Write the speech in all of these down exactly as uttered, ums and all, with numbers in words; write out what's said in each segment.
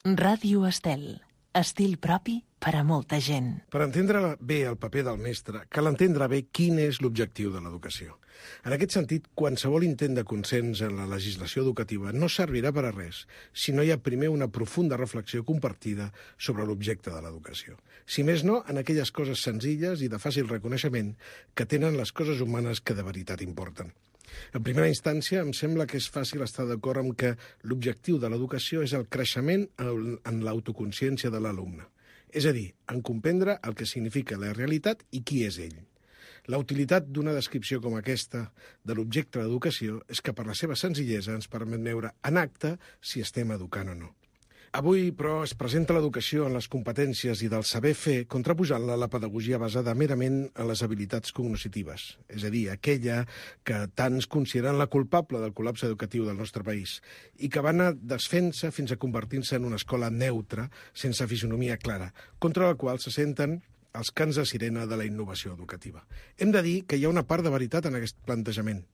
Ràdio Estel. Estil propi per a molta gent. Per entendre bé el paper del mestre, cal entendre bé quin és l'objectiu de l'educació. En aquest sentit, qualsevol intent de consens en la legislació educativa no servirà per a res si no hi ha primer una profunda reflexió compartida sobre l'objecte de l'educació. Si més no, en aquelles coses senzilles i de fàcil reconeixement que tenen les coses humanes que de veritat importen. En primera instància, em sembla que és fàcil estar d'acord amb que l'objectiu de l'educació és el creixement en l'autoconsciència de l'alumne. És a dir, en comprendre el que significa la realitat i qui és ell. La utilitat d'una descripció com aquesta de l'objecte de l'educació és que per la seva senzillesa ens permet veure en acte si estem educant o no. Avui, però, es presenta l'educació en les competències i del saber fer contraposant-la a la pedagogia basada merament en les habilitats cognoscitives, és a dir, aquella que tants consideren la culpable del col·lapse educatiu del nostre país i que va anar desfent-se fins a convertir-se en una escola neutra, sense fisonomia clara, contra la qual se senten els cants de sirena de la innovació educativa. Hem de dir que hi ha una part de veritat en aquest plantejament,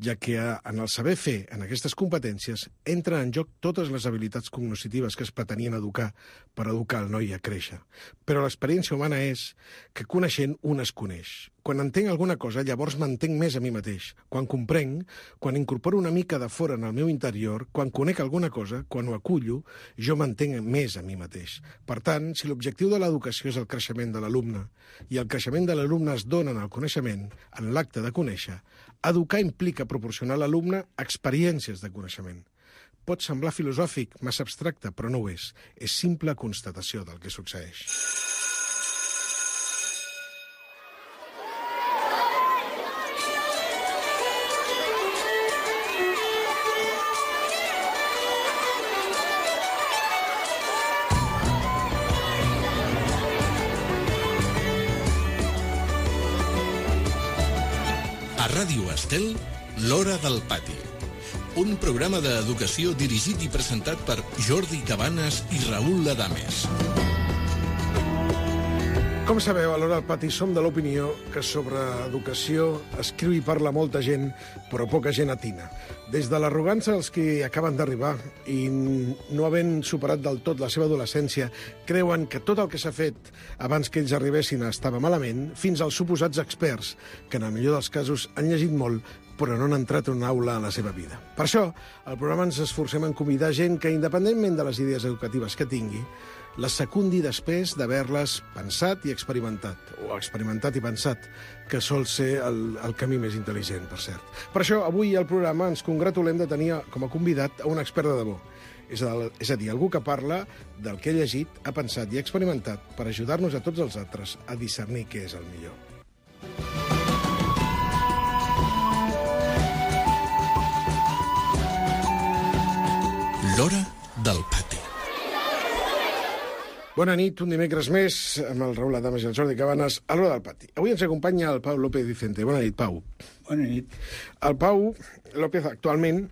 ja que en el saber fer, en aquestes competències, entren en joc totes les habilitats cognoscitives que es pretenien educar per educar el noi a créixer. Però l'experiència humana és que coneixent un es coneix. Quan entenc alguna cosa, llavors m'entenc més a mi mateix. Quan comprenc, quan incorporo una mica de fora en el meu interior, quan conec alguna cosa, quan ho acullo, jo m'entenc més a mi mateix. Per tant, si l'objectiu de l'educació és el creixement de l'alumne i el creixement de l'alumne es dona en el coneixement, en l'acte de conèixer, educar implica proporcionar a l'alumne experiències de coneixement. Pot semblar filosòfic, massa abstracte, però no ho és. És simple constatació del que succeeix. A Ràdio Estel, l'Hora del Pati. Un programa d'educació dirigit i presentat per Jordi Cabanes i Raül Adames. Com sabeu, a l'Hora del Pati som de l'opinió que sobre educació escriu i parla molta gent, però poca gent atina. Des de l'arrogància dels que acaben d'arribar i no havent superat del tot la seva adolescència, creuen que tot el que s'ha fet abans que ells arribessin estava malament, fins als suposats experts, que en el millor dels casos han llegit molt, però no han entrat en una aula en la seva vida. Per això, al programa ens esforcem en convidar gent que, independentment de les idees educatives que tingui, les secundi després d'haver-les pensat i experimentat, o experimentat i pensat, que sol ser el, el camí més intel·ligent, per cert. Per això, avui al programa ens congratulem de tenir com a convidat a un expert de debò. És a, és a dir, algú que parla del que ha llegit, ha pensat i ha experimentat per ajudar-nos a tots els altres a discernir què és el millor. L'Hora del Pati. Bona nit, un dimecres més, amb el Raül Adames i el Jordi Cabanes, a l'Hora del Pati. Avui ens acompanya el Pau López Vicente. Bona nit, Pau. Bona nit. El Pau López actualment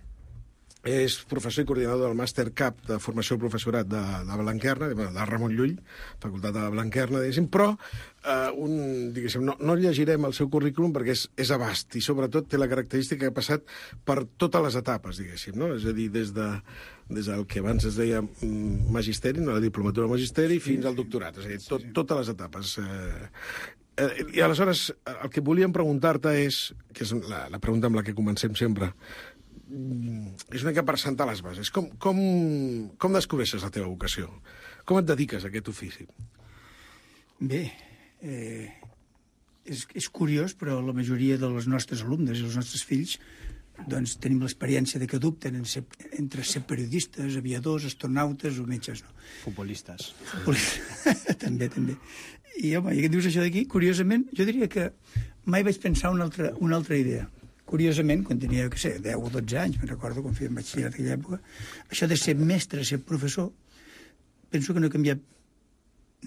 és professor i coordinador del Màster C A P de Formació del Professorat de, de Blanquerna, de, de Ramon Llull, Facultat de Blanquerna, diguéssim, però eh, un, diguéssim, no, no llegirem el seu currículum perquè és, és abast i sobretot té la característica que ha passat per totes les etapes, diguéssim, no? És a dir, des de des del que abans es deia magisteri, no, la diplomatura magisteri, fins al doctorat, és a dir, tot, totes les etapes. Eh, eh, I aleshores, el que volíem preguntar-te és, que és la, la pregunta amb la que comencem sempre, és una mica per sentar les bases. Com, com, com descobreixes la teva vocació? Com et dediques a aquest ofici? Bé, eh, és, és curiós, però la majoria de les nostres alumnes i els nostres fills doncs tenim l'experiència de que dubten en ser, entre ser periodistes, aviadors, astronautes o metges, no? Futbolistes. Futbolistes. també, també. I, home, i que dius això d'aquí, curiosament, jo diria que mai vaig pensar una altra, una altra idea. Curiosament, quan tenia, què sé, deu o dotze anys, me'n recordo, quan feia batxillerat en aquella època, això de ser mestre, ser professor, penso que no he canviat,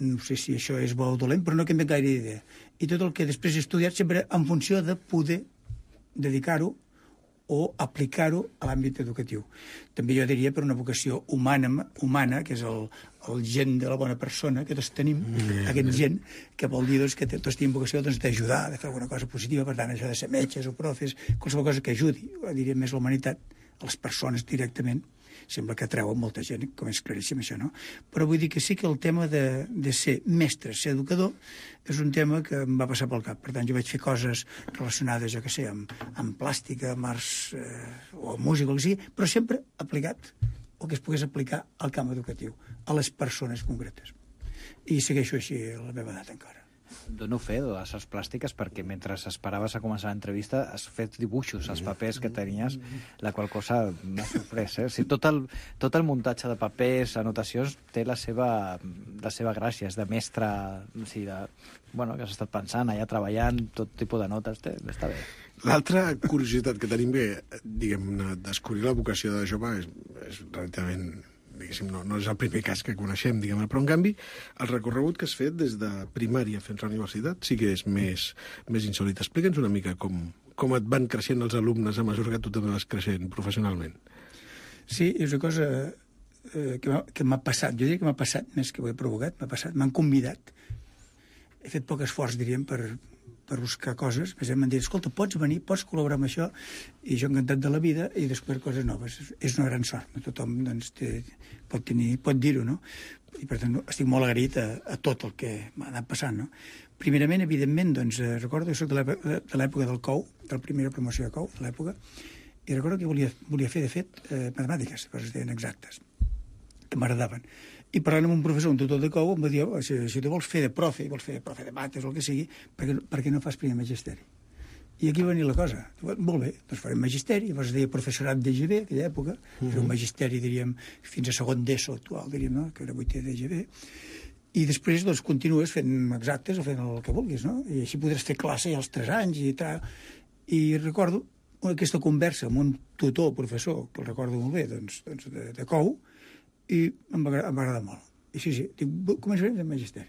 no sé si això és bo o dolent, però no he canviat gaire idea. I tot el que després he estudiat sempre en funció de poder dedicar-ho o aplicar-ho a l'àmbit educatiu. També jo diria per una vocació humana, humana que és el, el gent de la bona persona, que tots tenim, mm. aquest gent, que vol dir doncs, que tots tenim vocació doncs, d'ajudar, de fer alguna cosa positiva, per tant, això de ser metges o profes, qualsevol cosa que ajudi, diria més la humanitat, a les persones directament. sembla que atreu a molta gent, com és claríssim això, no? Però vull dir que sí que el tema de, de ser mestre, ser educador, és un tema que em va passar pel cap. Per tant, jo vaig fer coses relacionades, jo què sé, amb, amb plàstica, amb arts eh, o música, o el que sigui, però sempre aplicat, o que es pogués aplicar al camp educatiu, a les persones concretes. I segueixo així a la meva edat encara. Dono fe de les arts plàstiques perquè mentre esperaves a començar l'entrevista has fet dibuixos als papers que tenies, la qual cosa m'ha sorprès. Eh? O sigui, tot, el, tot el muntatge de papers, anotacions, té la seva, la seva gràcia, és de mestre, o sigui, de, bueno, que has estat pensant allà, treballant, tot tipus de notes, té, està bé. L'altra curiositat que tenim bé, diguem-ne, descobrir la vocació de jove és, és relativament... diguéssim, no, no és el primer cas que coneixem, diguem-ne, però en canvi el recorregut que has fet des de primària fins a la universitat sí que és més, més insòlit. Explica'ns una mica com, com et van creixent els alumnes a mesura que tu també vas creixent professionalment. Sí, és una cosa eh, que m'ha passat, jo diria que m'ha passat més que ho he provocat, m'ha passat, m'han convidat. He fet poc esforç, diríem, per, per buscar coses, més m'han dit, escolta, pots venir, pots col·laborar amb això, i jo encantat de la vida, i descobrir coses noves. És una gran sort, no tothom doncs, té, pot, tenir, pot dir-ho, no? I per tant estic molt agraït a, a tot el que m'ha anat passant, no? Primerament, evidentment, doncs, eh, recordo que soc de l'època del C O U, de la primera promoció de C O U, de l'època, i recordo que volia, volia fer, de fet, eh, matemàtiques, coses deien exactes, que m'agradaven. I parlant amb un professor, un tutor de C O U, em va dir, oh, si, si tu vols fer de profe, vols fer de profe de mates o el que sigui, per què, per què no fas primer magisteri? I aquí va venir la cosa. Molt bé, doncs farem magisteri, llavors es deia professorat d'E G B, aquella època, uh-huh. Era un magisteri, diríem, fins a segon d'ESO actual, diríem, no? Que era vuitè d'E G B, i després doncs, continues fent exactes o fent el que vulguis, no? I així podràs fer classe als tres anys i tal. I recordo aquesta conversa amb un tutor, professor, que el recordo molt bé, doncs, doncs de, de C O U, i em va, em va agradar molt. I sí, sí, dic, començarem fent magisteri.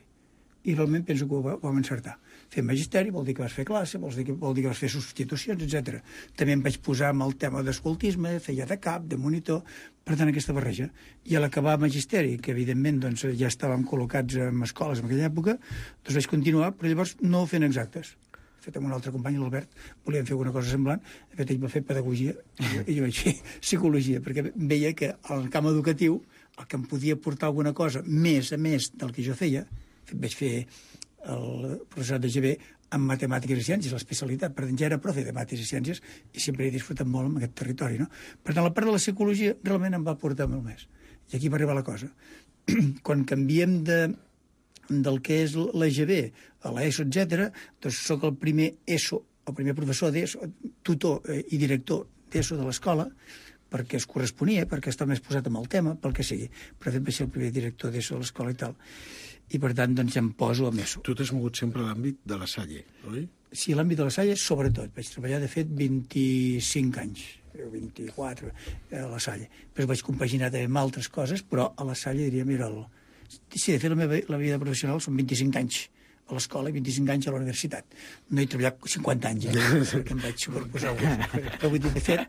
I realment penso que ho, ho vam encertar. Fer magisteri vol dir que vas fer classe, vol dir que, vol dir que vas fer substitucions, etcètera. També em vaig posar amb el tema d'escoltisme, feia de cap, de monitor, per tant, aquesta barreja. I a l'acabar magisteri, que evidentment doncs, ja estàvem col·locats en escoles en aquella època, doncs vaig continuar, però llavors no fent exactes. De fet, amb un altre company, l'Albert, volíem fer alguna cosa semblant. De fet, ell va fer pedagogia i jo vaig fer psicologia, perquè veia que al camp educatiu el que em podia portar alguna cosa més a més del que jo feia, vaig fer el professorat de G B en matemàtiques i ciències, l'especialitat, per tant ja era profe de matemàtiques i ciències i sempre he disfrutat molt amb aquest territori, no? Per tant, la part de la psicologia realment em va portar molt més. I aquí va arribar la cosa. Quan canviem de, del que és l'E G B a l'ESO, etcètera, doncs soc el primer ESO, el primer professor d'ESO, tutor i director d'ESO de l'escola, perquè es corresponia, perquè estava més posat amb el tema, pel que sigui. Però de fet vaig ser el primer director d'ESO de l'escola i tal. I per tant, doncs, ja em poso amb ESO. Tu t'has mogut sempre a l'àmbit de la Salle, oi? Sí, a l'àmbit de la Salle, sobretot. Vaig treballar, de fet, vint-i-cinc anys, vint-i-quatre, a la Salle. Després vaig compaginar també amb altres coses, però a la Salle, diríem, era el... Sí, de fet, la meva la vida professional són vint-i-cinc anys a l'escola i vint-i-cinc anys a la universitat. No he treballat cinquanta anys, eh? Perquè em vaig superposar alguns. Però vull dir, de fet,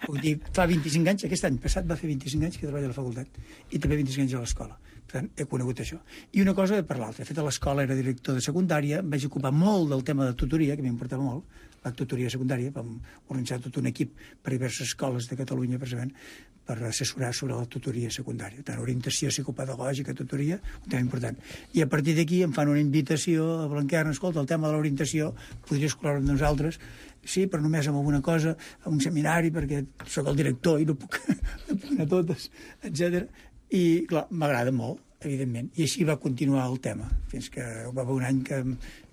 vull dir, fa vint-i-cinc anys, aquest any passat va fer vint-i-cinc anys que treballa a la facultat i també vint-i-cinc anys a l'escola. Per tant, he conegut això. I una cosa per l'altra. De fet, a l'escola era director de secundària, em vaig ocupar molt del tema de tutoria, que m'importava molt, la tutoria secundària, vam organitzar tot un equip per diverses escoles de Catalunya, precisament, per assessorar sobre la tutoria secundària. Tant orientació psicopedagògica, tutoria, un tema important. I a partir d'aquí em fan una invitació a Blanquerna, escolta, el tema de l'orientació, podries col·laborar amb nosaltres? Sí, però només amb alguna cosa, a un seminari, perquè sóc el director i no puc, no puc anar a totes, etcètera. I, clar, m'agrada molt, evidentment. I així va continuar el tema, fins que va haver un any que,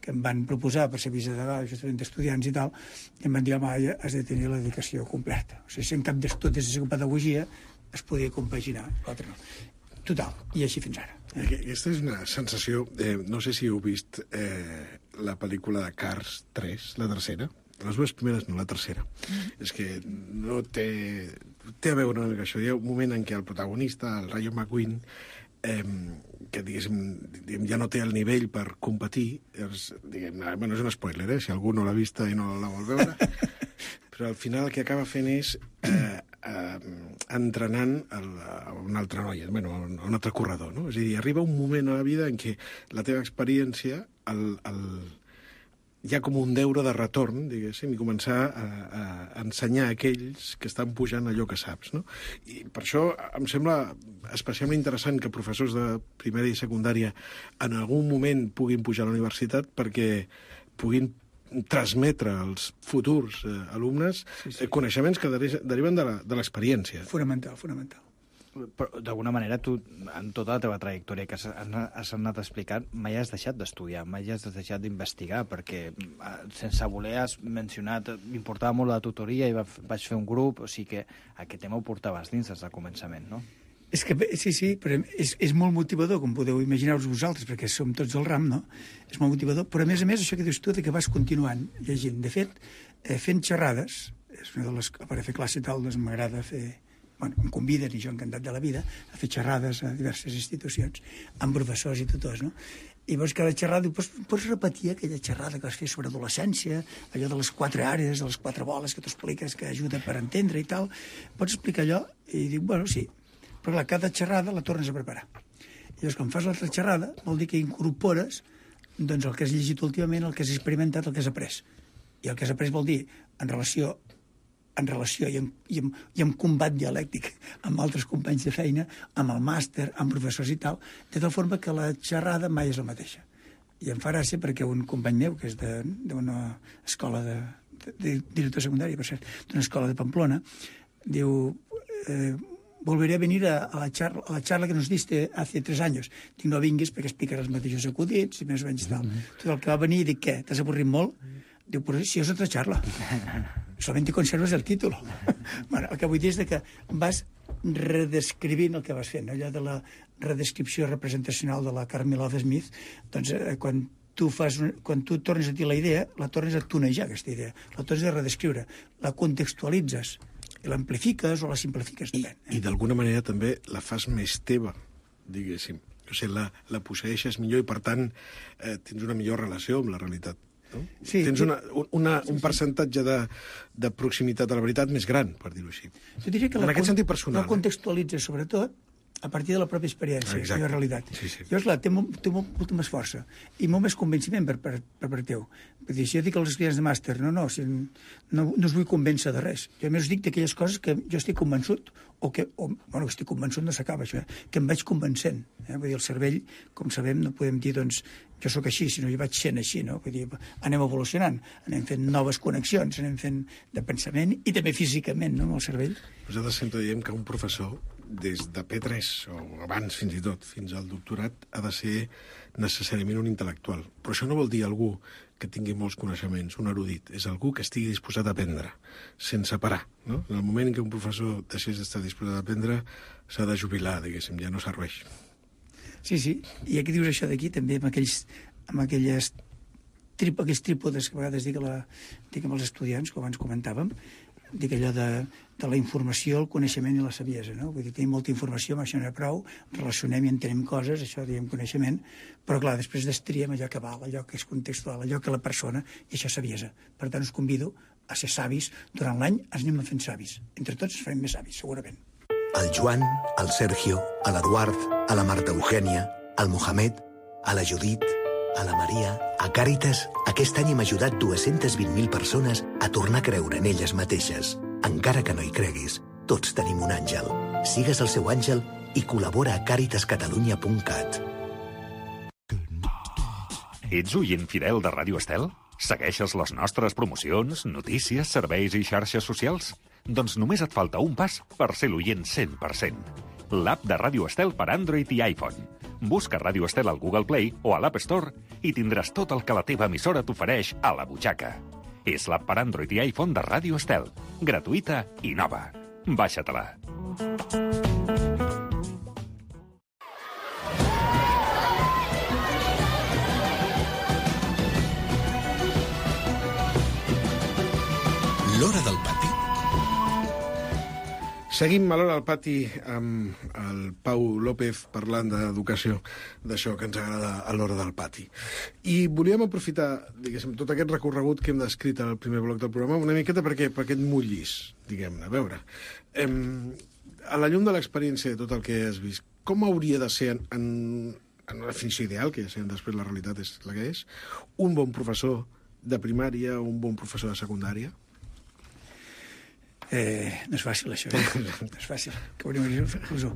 que em van proposar per ser vicedegà, justament d'estudiants i tal, i em van dir, home, ja has de tenir la dedicació completa. O sigui, si en cap d'estudis de psicopedagogia es podia compaginar, l'altre no. Total, i així fins ara. Aquesta és una sensació, eh, no sé si heu vist eh, la pel·lícula de Cars tres, la tercera. Les dues primeres no, la tercera. Mm. És que no té... Té a veure una mica això. Hi ha un moment en què el protagonista, el Rayo McQueen, eh, que diguéssim, diguem, ja no té el nivell per competir, és, diguem, bueno, és un spoiler, eh, si algú no l'ha vista i no la vol veure, però al final el que acaba fent és eh, eh, entrenant el, a una altra noia, bueno, a un altre corredor, no? És a dir, arriba un moment a la vida en què la teva experiència el, el, hi ha com un deure de retorn, diguéssim, i començar a, a ensenyar a aquells que estan pujant allò que saps, no? I per això em sembla especialment interessant que professors de primària i secundària en algun moment puguin pujar a la universitat perquè puguin transmetre als futurs eh, alumnes sí, sí. Eh, coneixements que deriven de l'experiència. Fonamental, fonamental. Però, d'alguna manera, tu, en tota la teva trajectòria que has, has anat explicant, mai has deixat d'estudiar, mai has deixat d'investigar, perquè, sense voler, has mencionat, m'importava molt la tutoria i vaig fer un grup, o sigui que aquest tema ho portaves dins des del començament, no? És que, sí, sí, però és, és molt motivador, com podeu imaginar-vos vosaltres, perquè som tots del ram, no? És molt motivador, però a més a més, això que dius tu, que vas continuant llegint. De fet, eh, fent xerrades, és una de les... per fer classe i tal, doncs m'agrada fer... Bueno, em conviden, i jo encantat de la vida, a fer xerrades a diverses institucions, amb professors i tutors, no? I veus cada xerrada, diu, pots, pots repetir aquella xerrada que vas fer sobre adolescència, allò de les quatre àrees, de les quatre boles que tu expliques, que ajuda per entendre i tal. Pots explicar allò? I dic, bueno, sí. Però clar, cada xerrada la tornes a preparar. I llavors, quan fas l'altra xerrada, vol dir que incorpores doncs, el que has llegit últimament, el que has experimentat, el que has après. I el que has après vol dir, en relació en relació i en, i, en, i en combat dialèctic amb altres companys de feina, amb el màster, amb professors i tal, de tal forma que la xerrada mai és la mateixa. I em fa gràcia perquè un company meu, que és d'una escola de, de, de director secundari, per cert, d'una escola de Pamplona, diu, eh, volveré a venir a, a, la charla, a la charla que nos diste hace tres años. Dic, no vinguis perquè explicaràs els mateixos acudits i més o menys tal. Mm-hmm. Tot el que va venir, dic, què, t'has avorrit molt? Diu, però si és otra charla. Solamente conserves el títol. Bueno, el que vull dir és que vas redescrivint el que vas fent, no? Allò de la redescripció representacional de la Carmelove Smith, doncs eh, quan tu fas, quan tu tornes a dir la idea, la tornes a tunejar, aquesta idea, la tornes a redescriure, la contextualitzes, i l'amplifiques o la simplifiques. I, eh? i d'alguna manera també la fas més teva, diguéssim. O sigui, la, la posseixes millor i, per tant, eh, tens una millor relació amb la realitat. No? Sí, tens una, una, un percentatge de, de proximitat a la veritat més gran, per dir-ho així. Jo diria que en la, aquest sentit personal. La contextualitza, sobretot, a partir de la pròpia experiència i la realitat. Sí, sí. Llavors, clar, té, molt, té molt, molta més força i molt més convenciment per, per, per part teu. Vull dir, si jo dic als estudiants de màster, no, no, si no, no us vull convèncer de res. Jo més us dic d'aquelles coses que jo estic convençut, o que, o, bueno, que estic convençut no s'acaba això, eh? Que em vaig convencent. Eh? Vull dir, el cervell, com sabem, no podem dir, doncs, jo sóc així, sinó jo vaig sent així, no? Vull dir, anem evolucionant, anem fent noves connexions, anem fent de pensament i també físicament, no?, amb el cervell. Nosaltres sempre diem que un professor, des de P tres, o abans fins i tot, fins al doctorat, ha de ser necessàriament un intel·lectual. Però això no vol dir algú que tingui molts coneixements, un erudit. És algú que estigui disposat a aprendre, sense parar. No? En el moment en què un professor deixés d'estar disposat a aprendre, s'ha de jubilar, diguéssim, ja no serveix. Sí, sí, i aquí dius això d'aquí, també amb aquells, amb aquelles trip, aquells trípodes que a vegades dic, la, dic amb els estudiants, com abans comentàvem, dic allò de, de la informació, el coneixement i la saviesa, no? Vull dir, tenim molta informació, amb això no hi ha prou, relacionem i entenem coses, això diem coneixement, però clar, després destriem allò que val, allò que és contextual, allò que la persona, i això és saviesa. Per tant, us convido a ser savis. Durant l'any ens anem fent savis. Entre tots ens farem més savis, segurament. Al Joan, al Sergio, a l'Eduard, a la Marta Eugènia, al Mohamed, a la Judit, a la Maria... A Càritas, aquest any hem ajudat dues-centes vint mil persones a tornar a creure en elles mateixes. Encara que no hi creguis, tots tenim un àngel. Sigues el seu àngel i col·labora a càritas catalunya punt cat. Ets oient fidel de Ràdio Estel? Segueixes les nostres promocions, notícies, serveis i xarxes socials? Doncs només et falta un pas per ser l'oient cent per cent. L'app de Ràdio Estel per Android i iPhone. Busca Ràdio Estel al Google Play o a l'App Store i tindràs tot el que la teva emissora t'ofereix a la butxaca. És l'app per Android i iPhone de Ràdio Estel. Gratuïta i nova. Baixa-te-la. L'Hora del Pati. Seguim a l'Hora del Pati amb el Pau López parlant d'educació, d'això que ens agrada a l'Hora del Pati. I volíem aprofitar, diguéssim, tot aquest recorregut que hem descrit al primer bloc del programa una miqueta perquè, per aquest mullis, diguem-ne. A veure, em, a la llum de l'experiència de tot el que has vist, com hauria de ser, en, en, en una definició ideal, que ja sabem després la realitat és la que és, un bon professor de primària o un bon professor de secundària? Eh, no és fàcil, això. Eh? No és fàcil. Que hauríem de dir, jo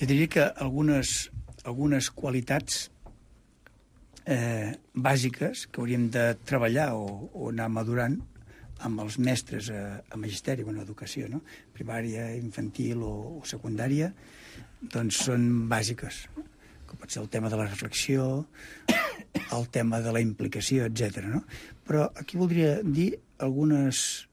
diria que algunes, algunes qualitats eh, bàsiques que hauríem de treballar o, o anar madurant amb els mestres a, a magisteri o en educació, no? Primària, infantil o, o secundària, doncs són bàsiques. Com pot ser el tema de la reflexió, el tema de la implicació, etcètera. No? Però aquí voldria dir algunes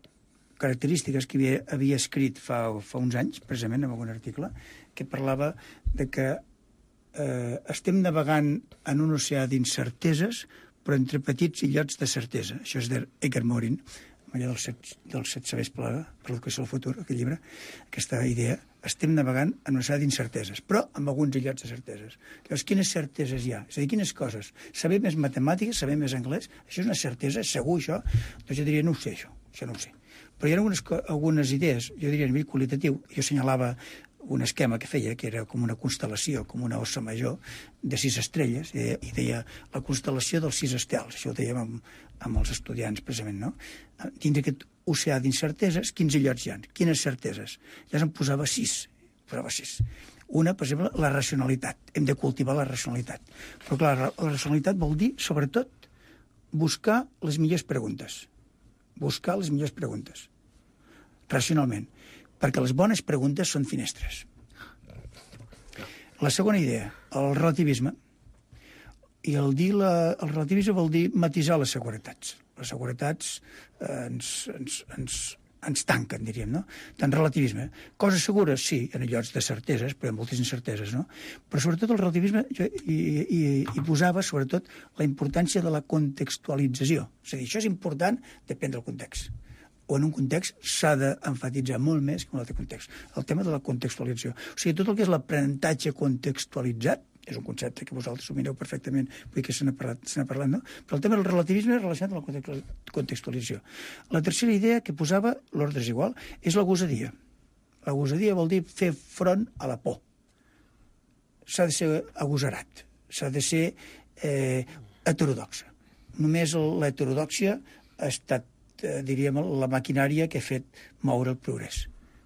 característiques que havia, havia escrit fa, fa uns anys, precisament, en algun article, que parlava de que eh, estem navegant en un oceà d'incerteses, però entre petits illots de certesa. Això és d'Edgar Morin, allò dels set, dels set sabers per l'educació del futur, aquest llibre, aquesta idea, estem navegant en una oceà d'incerteses, però amb alguns illots de certeses. Llavors, quines certeses hi ha? És a dir, quines coses? Saber més matemàtiques, saber més anglès, això és una certesa, segur això? Doncs jo diria, no ho sé, això, això no ho sé. Però hi ha algunes, algunes idees, jo diria a nivell qualitatiu, jo assenyalava un esquema que feia, que era com una constel·lació, com una ossa major de sis estrelles, i deia, i deia la constel·lació dels sis estels, això ho dèiem amb, amb els estudiants, precisament, no? Dins d'aquest oceà d'incerteses, quins illots hi ha? Quines certeses? Ja se'n posava sis, posava sis. Una, per exemple, la racionalitat. Hem de cultivar la racionalitat. Però, clar, la racionalitat vol dir, sobretot, buscar les millors preguntes. Buscar les millors preguntes. Racionalment. Perquè les bones preguntes són finestres. La segona idea, el relativisme. I el, dir la, el relativisme vol dir matisar les seguretats. Les seguretats eh, ens, ens, ens, ens tanquen, diríem, no? Tant relativisme. Coses segures, sí, en llocs de certeses, però hi ha moltes incerteses, no? Però sobretot el relativisme jo, hi, hi, hi posava, sobretot, la importància de la contextualització. És a dir, això és important, depèn del context. O en un context s'ha d'emfatitzar molt més que en un altre context. El tema de la contextualització. O sigui, tot el que és l'aprenentatge contextualitzat, és un concepte que vosaltres domineu perfectament, vull que se n'ha parlat, se n'ha parlat, no? Però el tema del relativisme és relacionat amb la contextualització. La tercera idea que posava, l'ordre és igual, és la gosadia. La gosadia vol dir fer front a la por. S'ha de ser agosarat, s'ha de ser eh, heterodoxa. Només l'heterodòxia ha estat, eh, diríem, la maquinària que ha fet moure el progrés.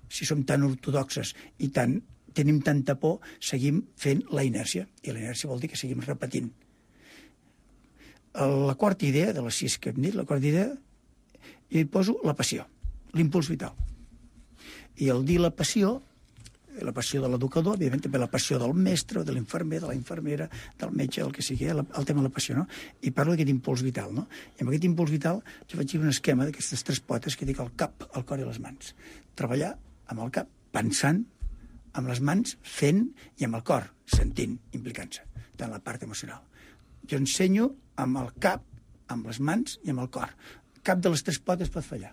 Si som tan ortodoxes i tan tenim tanta por, seguim fent la inèrcia. I la inèrcia vol dir que seguim repetint. La quarta idea, de les sis que hem dit, la quarta idea, jo hi poso la passió, l'impuls vital. I al dir la passió, la passió de l'educador, evidentment també la passió del mestre, de l'infermer, de la infermera, del metge, el que sigui, el, el tema de la passió, no? I parlo d'aquest impuls vital, no? I amb aquest impuls vital jo faig un esquema d'aquestes tres potes que dic el cap, el cor i les mans. Treballar amb el cap, pensant, amb les mans, fent, i amb el cor, sentint, implicant-se, tant la part emocional. Jo ensenyo amb el cap, amb les mans i amb el cor. Cap de les tres potes pot fallar.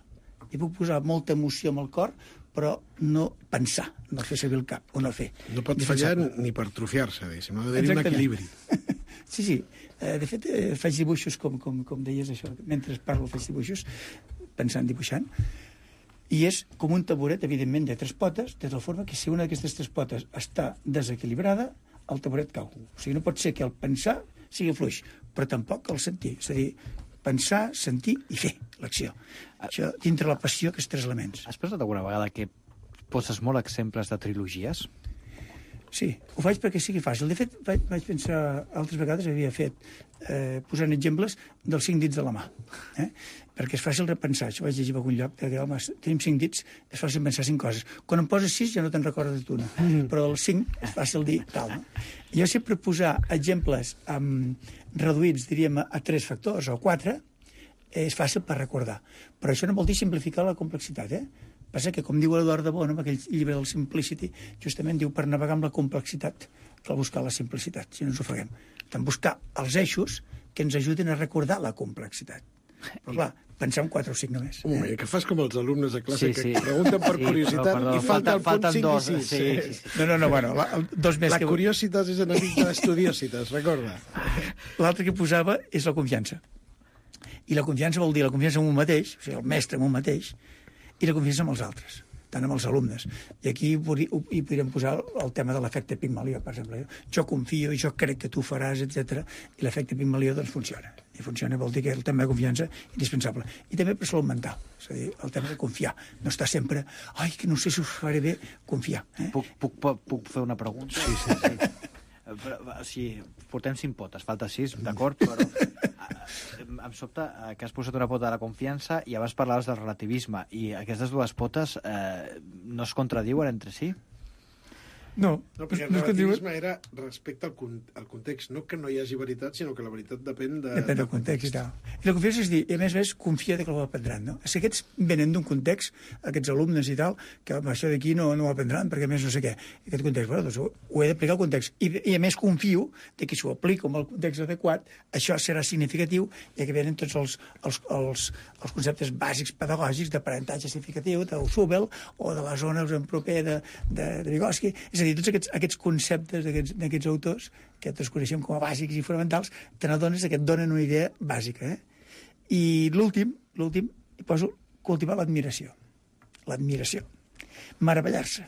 I puc posar molta emoció amb el cor, però no pensar, no fer servir el cap, o no fer. No pot fallar ni per trofiar-se, diguéssim, ha d'haver un equilibri. Sí, sí. De fet, faig dibuixos, com, com, com deies això, mentre parlo faig dibuixos, pensant, dibuixant, i és com un taburet, evidentment, de tres potes, de tal forma que si una d'aquestes tres potes està desequilibrada, el taburet cau. O sigui, no pot ser que el pensar sigui fluix, però tampoc el sentir. És a dir, pensar, sentir i fer l'acció. Això dintre la passió, aquests tres elements. Has pensat alguna vegada que poses molt exemples de trilogies? Sí, ho faig perquè sigui fàcil. De fet, vaig, vaig pensar, altres vegades havia fet, eh, posant exemples dels cinc dits de la mà. Eh? Perquè és fàcil repensar. Això vaig llegir a algun lloc, que home, tenim cinc dits, és fàcil pensar cinc coses. Quan em poses sis ja no te'n recordes d'una, mm. però dels cinc és fàcil dir tal. No? Jo sempre posar exemples um, reduïts, diríem, a tres factors o quatre, és fàcil per recordar. Però això no vol dir simplificar la complexitat, eh? Passa que, com diu Eduard de Bono, en aquell llibre del Simplicity, justament diu per navegar amb la complexitat cal buscar la simplicitat, si no ens ofeguem. Tant buscar els eixos que ens ajudin a recordar la complexitat. Però clar, pensar en quatre o cinc només. Un moment, que fas com els alumnes de classe sí, sí. que pregunten per sí, curiositat no, perdó, i falta el punt cinc dos, i sis. Sí, sí, sí. No, no, no, bueno, la, dos més la que... curiositat és enemic de l'estudiositat, recorda. L'altre que posava és la confiança. I la confiança vol dir la confiança en un mateix, o sigui, el mestre en un mateix, i la confiança amb els altres, tant amb els alumnes. I aquí hi podríem posar el tema de l'efecte Pigmalió, per exemple. Jo confio, jo crec que tu faràs, etcètera. I l'efecte Pigmalió doncs funciona. I funciona, vol dir que el tema de confiança és indispensable. I també per salut mental, és a dir, el tema de confiar. No estar sempre, ai, que no sé si us faré bé, confiar. Eh? Puc, puc, puc fer una pregunta? Sí, sí, sí. Però, o sigui, portem cinc potes, falta sis, d'acord, però em sobta que has posat una pota de la confiança i abans parlaves del relativisme, i aquestes dues potes eh, no es contradiuen entre si? No, no, perquè el no relativisme era respecte al, con al context, no que no hi hagi veritat, sinó que la veritat depèn de... Depèn del context i tal. I la confiança és dir, i a més a més, confia que ho aprendran, no? Si aquests venen d'un context, aquests alumnes i tal, que això d'aquí no, no ho aprendran, perquè a més no sé què. Aquest context, bueno, doncs ho he d'aplicar al context. I, I a més confio de que si ho aplico amb el context adequat, això serà significatiu, ja que venen tots els, els, els, els conceptes bàsics pedagògics d'aprenentatge significatiu, del Subel, o de la zona proper de, de, de Vygotsky. És a dir, tots aquests, aquests conceptes d'aquests autors, que tots coneixem com a bàsics i fonamentals, te n'adones que et donen una idea bàsica. Eh? I l'últim, l'últim, hi poso cultivar l'admiració. L'admiració. Meravellar-se.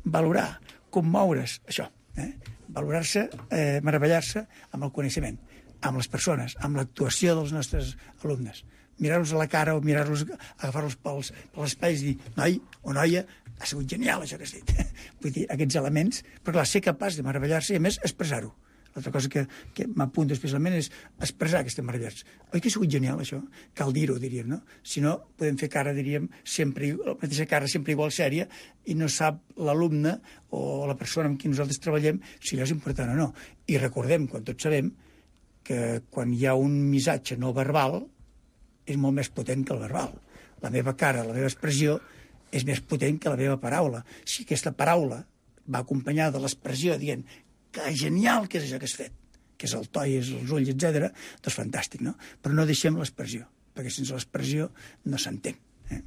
Valorar, commoure's, això. Eh? Valorar-se, eh, meravellar-se amb el coneixement, amb les persones, amb l'actuació dels nostres alumnes. Mirar-los a la cara o mirar-los, agafar-los pels, pels espais i dir, noi o noia, ha sigut genial això que has dit. Vull dir, aquests elements, però clar, ser capaç de meravellar-se i a més expressar-ho. L'altra cosa que, que m'apunta especialment és expressar aquesta meravellats. Oi que ha sigut genial això? Cal dir-ho, diríem, no? Si no, podem fer cara, diríem, sempre, la mateixa cara sempre igual sèria i no sap l'alumne o la persona amb qui nosaltres treballem si allò és important o no. I recordem, quan tots sabem, que quan hi ha un missatge no verbal és molt més potent que el verbal. La meva cara, la meva expressió és més potent que la meva paraula. Si aquesta paraula va acompanyada de l'expressió dient que genial que és això que has fet, que és el to i és els ulls, etcètera, doncs fantàstic, no? Però no deixem l'expressió, perquè sense l'expressió no s'entén. Eh?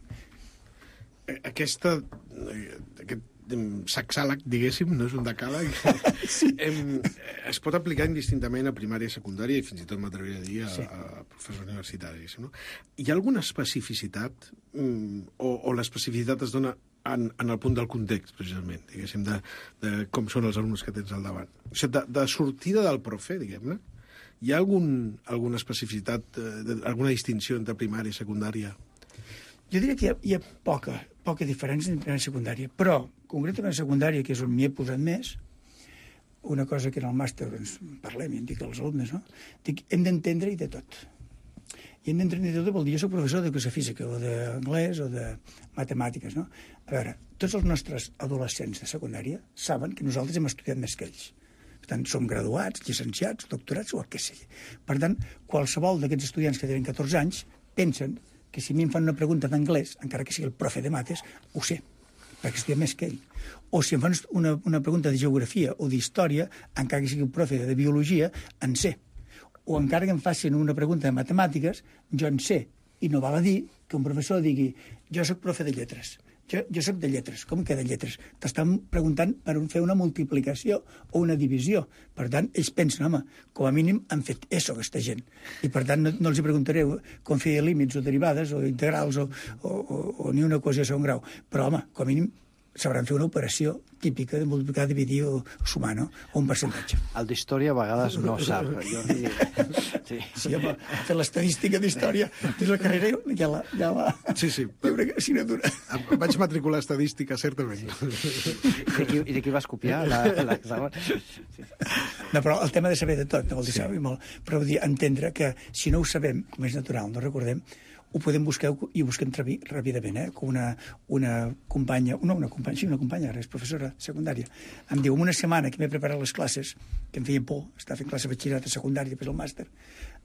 Aquesta, aquest sacsàleg, diguéssim, no és un decàleg, sí. em, es pot aplicar indistintament a primària i secundària i fins i tot m'atreviria a dir a, sí. a professor universitari. No? Hi ha alguna especificitat o, o l'especificitat es dona en, en el punt del context, precisament, diguéssim, de, de com són els alumnes que tens al davant? O sigui, de, de sortida del profe, diguem-ne, hi ha algun, alguna especificitat, eh, alguna distinció entre primària i secundària? Jo diria que hi ha, hi ha poca, poca diferència entre primària i secundària, però, concretament a secundària, que és on m'hi he posat més, una cosa que en el màster doncs, parlem i em dic als alumnes, no? Dic, hem d'entendre-hi de tot. I hem d'entendre-hi de tot vol dir, jo soc professor d'educació física, o d'anglès, o de matemàtiques, no? A veure, tots els nostres adolescents de secundària saben que nosaltres hem estudiat més que ells. Per tant, som graduats, llicenciats, doctorats o el que sigui. Per tant, qualsevol d'aquests estudiants que tenen catorze anys pensen que si a mi em fan una pregunta d'anglès, encara que sigui el profe de mates, ho sé, perquè estudia més que ell. O si em fan una, una pregunta de geografia o d'història, encara que sigui el profe de biologia, en sé. O encara que em facin una pregunta de matemàtiques, jo en sé. I no val a dir que un professor digui jo soc profe de lletres. Jo, jo soc de lletres. Com que de lletres? T'estan preguntant per fer una multiplicació o una divisió. Per tant, ells pensen, home, com a mínim han fet eso, aquesta gent. I per tant, no, no els hi preguntaré com fer límits o derivades o integrals o, o, o, o ni una equació de segon grau. Però, home, com a mínim sabran fer una operació típica de multiplicar, dividir o, o sumar, no? O un percentatge. El d'història a vegades no sap. Jo, sí. Sí, home, fer l'estadística d'història dins la carrera ja la... Ja la sí, sí. Hi ha una assignatura. Vaig matricular estadística, certament. I de qui, i de qui vas copiar l'examen? Sí. No, però el tema de saber de tot, no vol dir sí. saber molt, però vull dir, entendre que si no ho sabem, com és natural, no recordem, ho podem buscar i ho busquem ràpidament, eh? Com una, una companya, no una companya, sí, una companya, ara és professora secundària, em diu, en una setmana que m'he preparat les classes, que em feia por, estava fent classe de batxillerat a secundària, després el màster,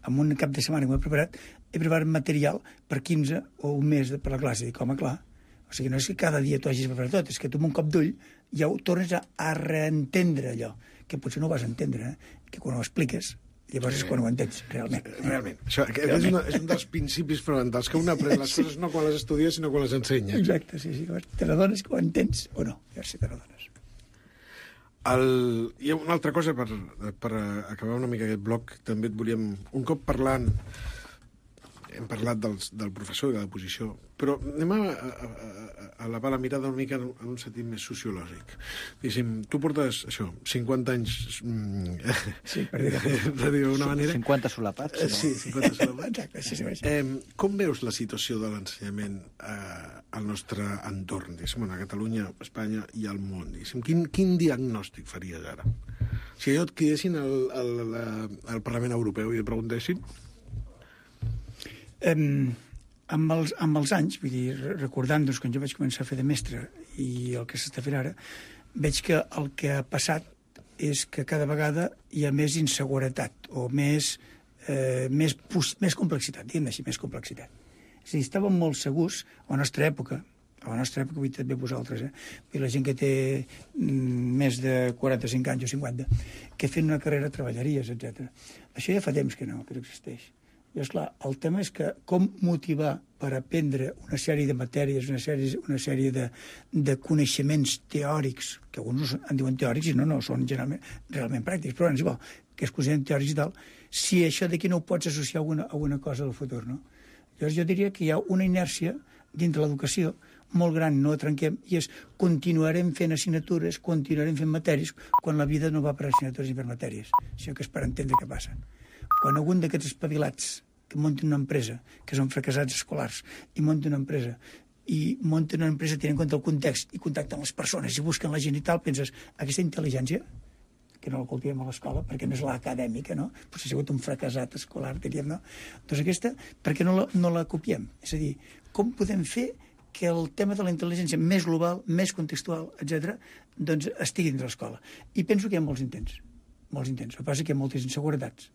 en un cap de setmana que m'he preparat, he preparat material per quinze o un mes per la classe. Dic, home, clar, o sigui, no és que cada dia t'ho hagis preparat tot, és que tu amb un cop d'ull ja ho tornes a, a reentendre allò, que potser no ho vas entendre, eh? Que quan ho expliques llavors és quan ho entens, realment. Realment. Això, realment. És, una, és un dels principis fonamentals, que un aprèn les coses no quan les estudia, sinó quan les ensenya. Exacte, sí, sí. Te n'adones que ho entens o no, ja si te n'adones. El... Hi ha una altra cosa, per, per acabar una mica aquest bloc, també et volíem, un cop parlant, hem parlat dels, del professor i de la posició, però anem a, a, a, a elevar la mirada una mica en, en un sentit més sociològic. Diguéssim, tu portes, això, cinquanta anys... Sí, per dir-ho d'una manera... cinquanta solapats. No? Sí, cinquanta solapats. Exacte, sí, sí, sí. Eh, com veus la situació de l'ensenyament eh, al nostre entorn, diguéssim, a Catalunya, a Espanya i al món? Diguéssim, quin, quin diagnòstic faries ara? Si allò et cridessin al, al, al Parlament Europeu i et preguntessin... Um, amb, els, amb els anys, vull dir, recordant doncs, quan jo vaig començar a fer de mestre i el que s'està fent ara, veig que el que ha passat és que cada vegada hi ha més inseguretat o més, eh, més, més complexitat, diguem així, més complexitat. És a dir, estàvem molt segurs, a la nostra època, a la nostra època, vull també vosaltres, eh? I la gent que té mm, més de quaranta-cinc anys o cinquanta, que fent una carrera treballaries, etcètera. Això ja fa temps que no, que no existeix. I, esclar, el tema és que com motivar per aprendre una sèrie de matèries, una sèrie, una sèrie de, de coneixements teòrics, que alguns en diuen teòrics i no, no, són generalment, realment pràctics, però és igual, que es consideren teòrics i tal, si això d'aquí no ho pots associar a alguna, a alguna cosa del futur, no? Llavors jo diria que hi ha una inèrcia dintre l'educació molt gran, no la trenquem, i és continuarem fent assignatures, continuarem fent matèries, quan la vida no va per assignatures ni per matèries. Això que és per entendre què passa. Quan algun d'aquests espavilats que munten una empresa, que són fracassats escolars, i munten una empresa, i munten una empresa tenint en compte el context, i contacten les persones, i busquen la gent i tal, penses, aquesta intel·ligència, que no la cultivem a l'escola, perquè no és l'acadèmica, no? Potser ha sigut un fracassat escolar, diríem, no? Doncs aquesta, per què no la, no la copiem? És a dir, com podem fer que el tema de la intel·ligència més global, més contextual, etcètera, doncs estigui dins l'escola? I penso que hi ha molts intents, molts intents. El que passa és que hi ha moltes inseguretats.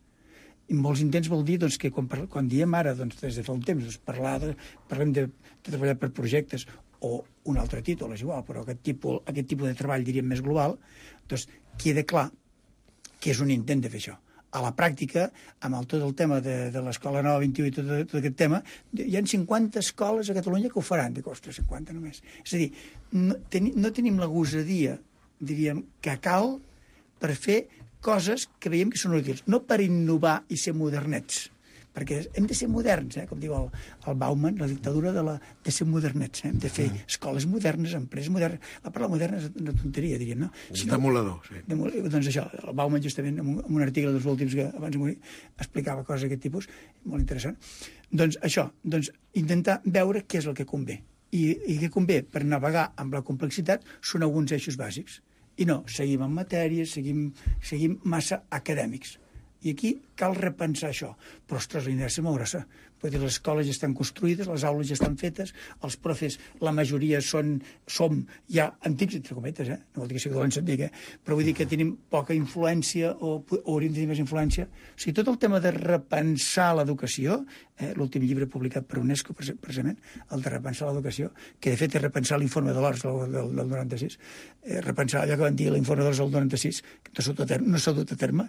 I molts intents vol dir doncs, que quan, quan diem ara, doncs, des de fa un temps, doncs, parlar de, parlem de, de treballar per projectes o un altre títol, és igual, però aquest tipus, aquest tipus de treball, diríem, més global, doncs queda clar que és un intent de fer això. A la pràctica, amb el, tot el tema de, de l'Escola Nova vint i u i tot, tot aquest tema, hi ha cinquanta escoles a Catalunya que ho faran, dic, ostres, cinquanta només. És a dir, no, ten, no tenim la gosadia, diríem, que cal per fer coses que veiem que són útils, no per innovar i ser modernets, perquè hem de ser moderns, eh? Com diu el, el Bauman, la dictadura de, la, de ser modernets, eh? Hem de fer mm. escoles modernes, empreses modernes. La paraula moderna és una tonteria, diríem, no? Si no demolador, sí. Demolador, doncs això, el Bauman justament, en un, en un article dels últims que abans de morir, explicava coses d'aquest tipus, molt interessant. Doncs això, doncs intentar veure què és el que convé. I, i què convé per navegar amb la complexitat són alguns eixos bàsics. I no, seguim en matèries, seguim, seguim massa acadèmics. I aquí cal repensar això. Però, ostres, la inèrcia molt grossa. Vull dir, les escoles ja estan construïdes, les aules ja estan fetes, els profes, la majoria són, som ja antics, entre cometes, eh? No vol dir que sigui dolent sentir, eh? Però vull dir que tenim poca influència o, o hauríem de tenir més influència. O sigui, tot el tema de repensar l'educació, eh? L'últim llibre publicat per UNESCO, precisament, el de repensar l'educació, que de fet és repensar l'informe de l'O R S del, del, del noranta-sis, eh, repensar allò que van dir l'informe de l'O R S del noranta-sis, que no s'ha dut a terme,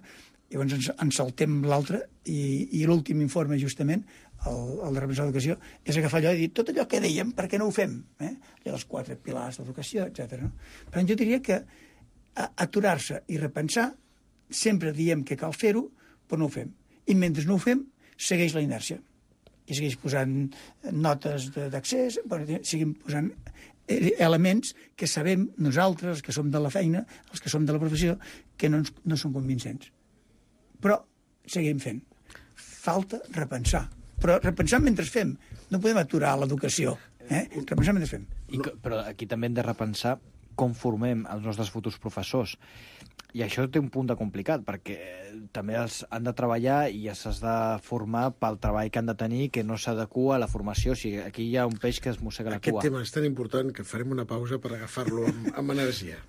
llavors ens, ens saltem l'altre, i, i l'últim informe, justament, el, el de repensar l'educació, és agafar allò i dir tot allò que dèiem, per què no ho fem? Eh? Allò dels quatre pilars d'educació, etcètera. No? Per tant, jo diria que aturar-se i repensar, sempre diem que cal fer-ho, però no ho fem. I mentre no ho fem, segueix la inèrcia. I segueix posant notes d'accés, bueno, seguim posant elements que sabem nosaltres, els que som de la feina, els que som de la professió, que no, ens, no són convincents. Però seguim fent. Falta repensar. Però repensar mentre fem. No podem aturar l'educació. Eh? Repensar mentre fem. I, però aquí també hem de repensar com formem els nostres futurs professors. I això té un punt de complicat, perquè també els han de treballar i s'has de formar pel treball que han de tenir, que no s'adequa a la formació. O sigui, aquí hi ha un peix que es mossega la cua. Aquest tema és tan important que farem una pausa per agafar-lo amb, amb energia.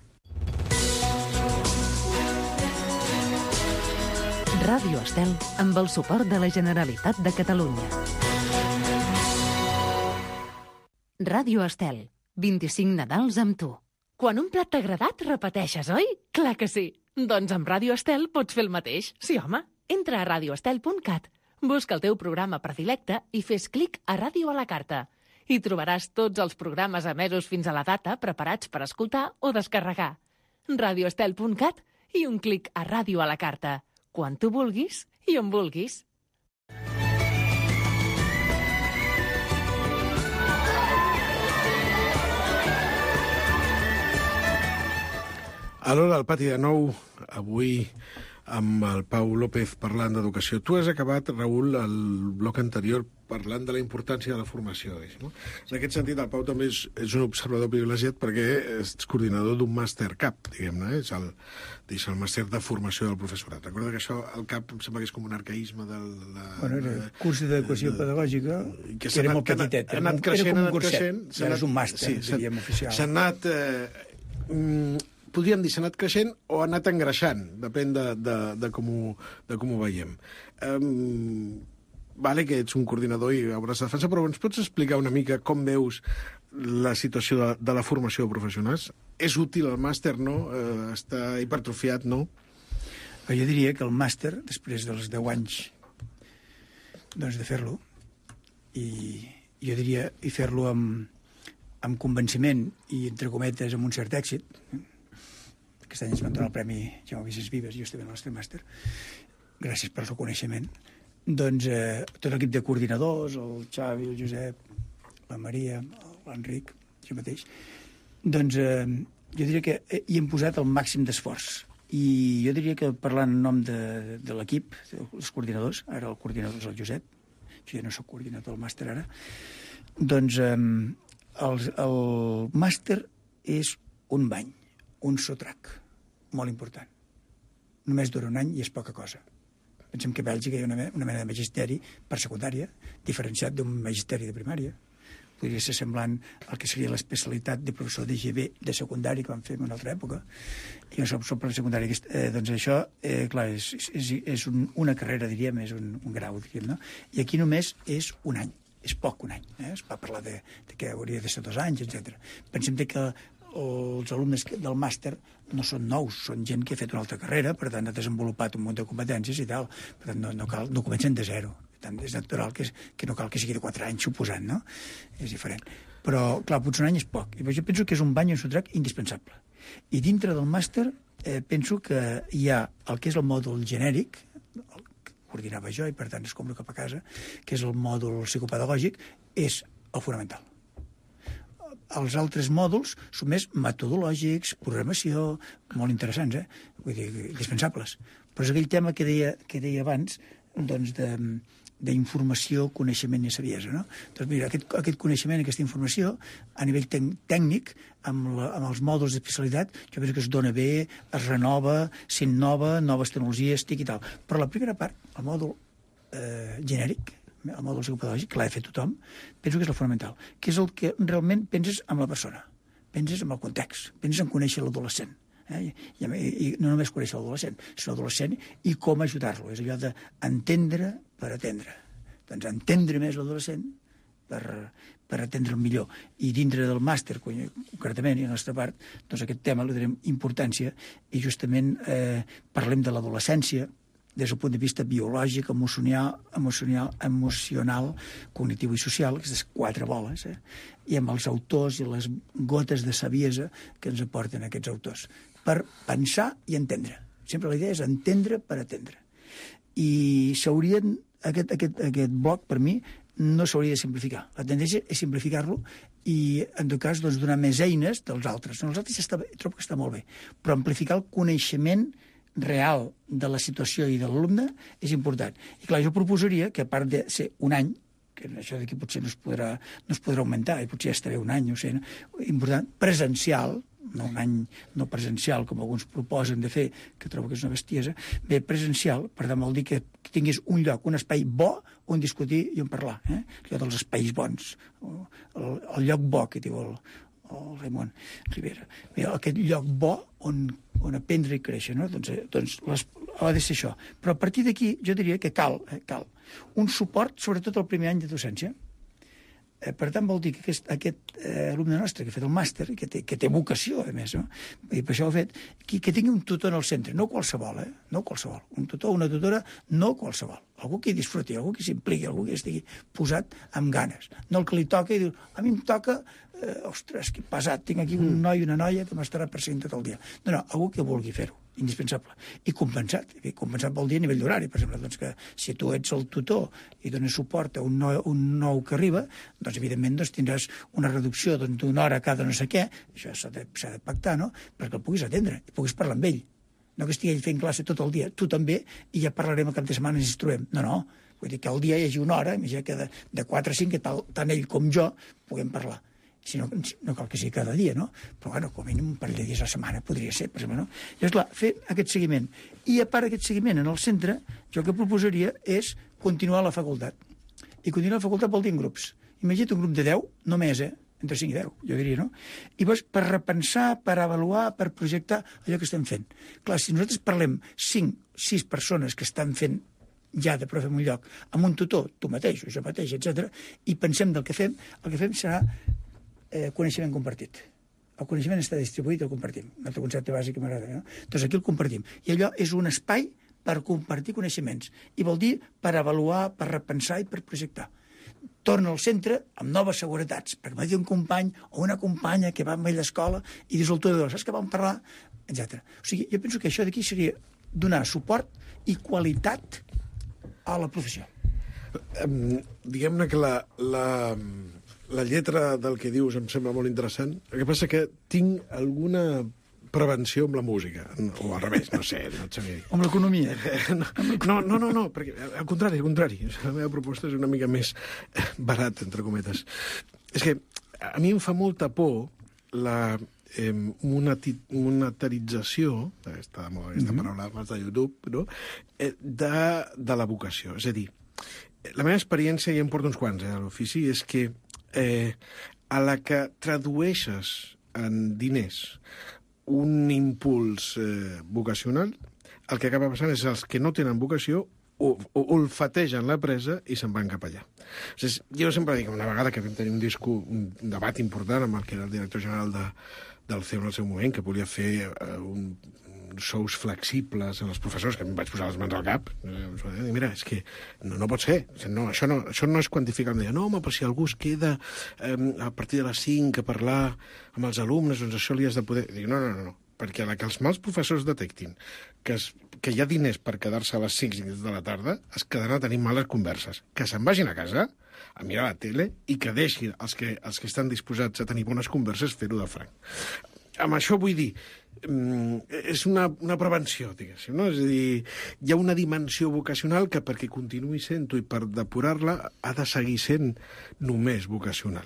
Ràdio Estel, amb el suport de la Generalitat de Catalunya. Ràdio Estel, vint-i-cinc Nadals amb tu. Quan un plat t'ha agradat, repeteixes, oi? Clar que sí. Doncs amb Ràdio Estel pots fer el mateix. Sí, home. Entra a radio estel punt cat, busca el teu programa predilecte i fes clic a Ràdio a la carta. Hi trobaràs tots els programes emesos fins a la data preparats per escoltar o descarregar. radio estel punt cat i un clic a Ràdio a la carta. Quan tu vulguis i on vulguis. A l'hora del pati de nou, avui amb el Pau López parlant d'educació. Tu has acabat, Raül, el bloc anterior parlant de la importància de la formació. No? En aquest sentit, el Pau també és, és un observador privilegiat perquè és coordinador d'un màster C A P, diguem-ne, és el, és el màster de formació del professorat. Recorda que això, el C A P, em sembla que és com un arcaïsme de la... Bueno, era el curs d'adequació pedagògica, que, que era molt petitet. Ha anat creixent, era com un anat curset. creixent. Ara és un màster, sí, diríem, oficial. S'ha anat... Eh, mm, podríem dir, s'ha anat creixent o ha anat engreixant, depèn de, de, de, com, ho, de com ho veiem. Um, vale que ets un coordinador i hauràs de defensar, però ens pots explicar una mica com veus la situació de, de la formació de professionals? És útil el màster, no? Uh, està hipertrofiat, no? Jo diria que el màster, després dels deu anys doncs, de fer-lo, i jo diria i fer-lo amb, amb convenciment i, entre cometes, amb un cert èxit. Aquest any ens van donar el Premi Jaume Vicens Vives, justament al nostre màster, gràcies pel reconeixement. Doncs eh, tot l'equip de coordinadors, el Xavi, el Josep, la Maria, l'Enric, jo mateix, doncs eh, jo diria que hi hem posat el màxim d'esforç. I jo diria que parlant en nom de, de l'equip, dels coordinadors, ara el coordinador és el Josep, jo ja no soc coordinador del màster ara, doncs eh, el, el màster és un bany, un sotrac, molt important. Només dura un any i és poca cosa. Pensem que a Bèlgica hi ha una, una mena de magisteri per secundària, diferenciat d'un magisteri de primària. Podria ser semblant al que seria l'especialitat de professor de G B de secundari que vam fer en una altra època. I jo soc professor de secundari. Eh, doncs això, eh, clar, és, és, és un, una carrera, diríem, és un, un grau, diríem, no? I aquí només és un any. És poc un any. Eh? Es va parlar de, de que hauria de ser dos anys, etcètera. Pensem que els alumnes del màster no són nous, són gent que ha fet una altra carrera, per tant ha desenvolupat un munt de competències i tal, per tant no, no, cal, no comencen de zero, per tant és natural que, que no cal que sigui de quatre anys suposant, no? És diferent. Però, clar, potser un any és poc, i jo penso que és un bany en sotrac indispensable. I dintre del màster eh, penso que hi ha el que és el mòdul genèric, el que coordinava jo i per tant es compro cap a casa, que és el mòdul psicopedagògic, és el fonamental. Els altres mòduls són més metodològics, programació, molt interessants, eh? Vull dir, indispensables. Però és aquell tema que deia, que deia abans, doncs, de, d'informació, coneixement i saviesa, no? Doncs mira, aquest, aquest coneixement, aquesta informació, a nivell tècnic, amb, la, amb els mòduls d'especialitat, jo penso que es dona bé, es renova, s'innova, noves tecnologies, tic i tal. Però la primera part, el mòdul eh, genèric, el mòdul psicopedagògic, que l'ha de fer tothom, penso que és el fonamental, que és el que realment penses en la persona, penses en el context, penses en conèixer l'adolescent. Eh? I, i, I no només conèixer l'adolescent, sinó l'adolescent i com ajudar-lo. És allò d'entendre per atendre. Doncs entendre més l'adolescent per, per atendre'l millor. I dintre del màster, concretament, i a la nostra part, doncs aquest tema li donem importància i justament eh, parlem de l'adolescència, des del punt de vista biològic, emocional, emocional, emocional, cognitiu i social, aquestes quatre boles, eh? I amb els autors i les gotes de saviesa que ens aporten aquests autors, per pensar i entendre. Sempre la idea és entendre per atendre. I s'haurien, aquest, aquest, aquest bloc, per mi, no s'hauria de simplificar. La tendència és simplificar-lo i, en tot cas, doncs, donar més eines dels altres. Els altres està, trobo que està molt bé, però amplificar el coneixement real de la situació i de l'alumne és important. I clar, jo proposaria que a part de ser un any, que això d'aquí potser no es podrà, no es podrà augmentar, i potser ja estaré un any, no sé, important, presencial, no un any no presencial, com alguns proposen de fer, que trobo que és una bestiesa, bé, presencial, per tant vol dir que tinguis un lloc, un espai bo on discutir i on parlar, eh? Allò dels espais bons, el, el lloc bo que diu el, el Raimon Rivera. Bé, aquest lloc bo on, on aprendre i créixer, no? Doncs, doncs les, ha de ser això. Però a partir d'aquí jo diria que cal, eh, cal un suport, sobretot el primer any de docència. Eh, per tant, vol dir que aquest, aquest eh, alumne nostre que ha fet el màster, que té, que té vocació, a més, no? I per això ho ha fet, que, que tingui un tutor en el centre, no qualsevol, eh? No qualsevol. Un tutor, una tutora, no qualsevol. Algú que hi disfruti, algú que s'impliqui, algú que estigui posat amb ganes. No el que li toca i diu, a mi em toca, eh, ostres, que pesat, tinc aquí un noi i una noia que m'estarà perseguint tot el dia. No, no, algú que vulgui fer-ho. indispensable. I compensat. I compensat vol dir a nivell d'horari. Per exemple, doncs que si tu ets el tutor i dones suport a un nou, un nou que arriba, doncs evidentment doncs, tindràs una reducció doncs, d'una hora cada no sé què, això s'ha de, s'ha de pactar, no? Perquè el puguis atendre, i puguis parlar amb ell. No que estigui ell fent classe tot el dia, tu també, i ja parlarem el cap de setmana i ens trobem. No, no. Vull dir que al dia hi hagi una hora, imagina que de, de quatre a cinc, que tal, tant ell com jo puguem parlar. Si no, no cal que sigui cada dia, no? Però, bueno, com a mínim un parell de dies a la setmana podria ser, per exemple, no? Llavors, clar, fer aquest seguiment. I, a part d'aquest seguiment en el centre, jo el que proposaria és continuar a la facultat. I continuar a la facultat vol dir en grups. Imagina't un grup de deu, només, eh? Entre cinc i deu, jo diria, no? I llavors, per repensar, per avaluar, per projectar allò que estem fent. Clar, si nosaltres parlem cinc, sis persones que estan fent ja de profe en un lloc, amb un tutor, tu mateix, o jo mateix, etcètera, i pensem del que fem, el que fem serà Eh, coneixement compartit. El coneixement està distribuït i el compartim. Un altre concepte bàsic que m'agrada, no? Doncs aquí el compartim. I allò és un espai per compartir coneixements. I vol dir per avaluar, per repensar i per projectar. Torna al centre amb noves seguretats, perquè m'ha dit un company o una companya que va amb ell a l'escola i dius al tutor, saps que vam parlar? Etcètera. O sigui, jo penso que això d'aquí seria donar suport i qualitat a la professió. Um, diguem-ne que la... la... La lletra del que dius em sembla molt interessant. El que passa que tinc alguna prevenció amb la música. O al revés, no sé, no et sabia dir. Amb l'economia? No, no, no, no, perquè al contrari, al contrari. La meva proposta és una mica més barat, entre cometes. És que a mi em fa molta por la eh, monati, monetarització, aquesta, aquesta mm-hmm. paraula de YouTube, no? eh, de, de la vocació. És a dir, la meva experiència, ja em porto uns quants eh, a l'ofici, és que Eh, a la que tradueixes en diners un impuls eh, vocacional, el que acaba passant és els que no tenen vocació o, o olfategen la presa i se'n van cap allà. O sigui, jo sempre dic, una vegada que vam tenir un, disco, un debat important amb el que era el director general de, del C E U en el seu moment, que volia fer eh, un sous flexibles en els professors, que em vaig posar les mans al cap. I mira, és que no, no pot ser. No, això, no, això no és quantificar. Em deia, no, home, però si algú es queda eh, a partir de les cinc a parlar amb els alumnes, doncs això li has de poder... Dic, no, no, no, no, perquè a la que els mals professors detectin que, es, que hi ha diners per quedar-se a les cinc de la tarda, es quedaran a tenir males converses. Que se'n vagin a casa a mirar la tele i que deixin els que, els que estan disposats a tenir bones converses fer-ho de franc. Amb això vull dir, és una, una prevenció, diguéssim, no? És a dir, hi ha una dimensió vocacional que perquè continuï sent-ho i per depurar-la ha de seguir sent només vocacional.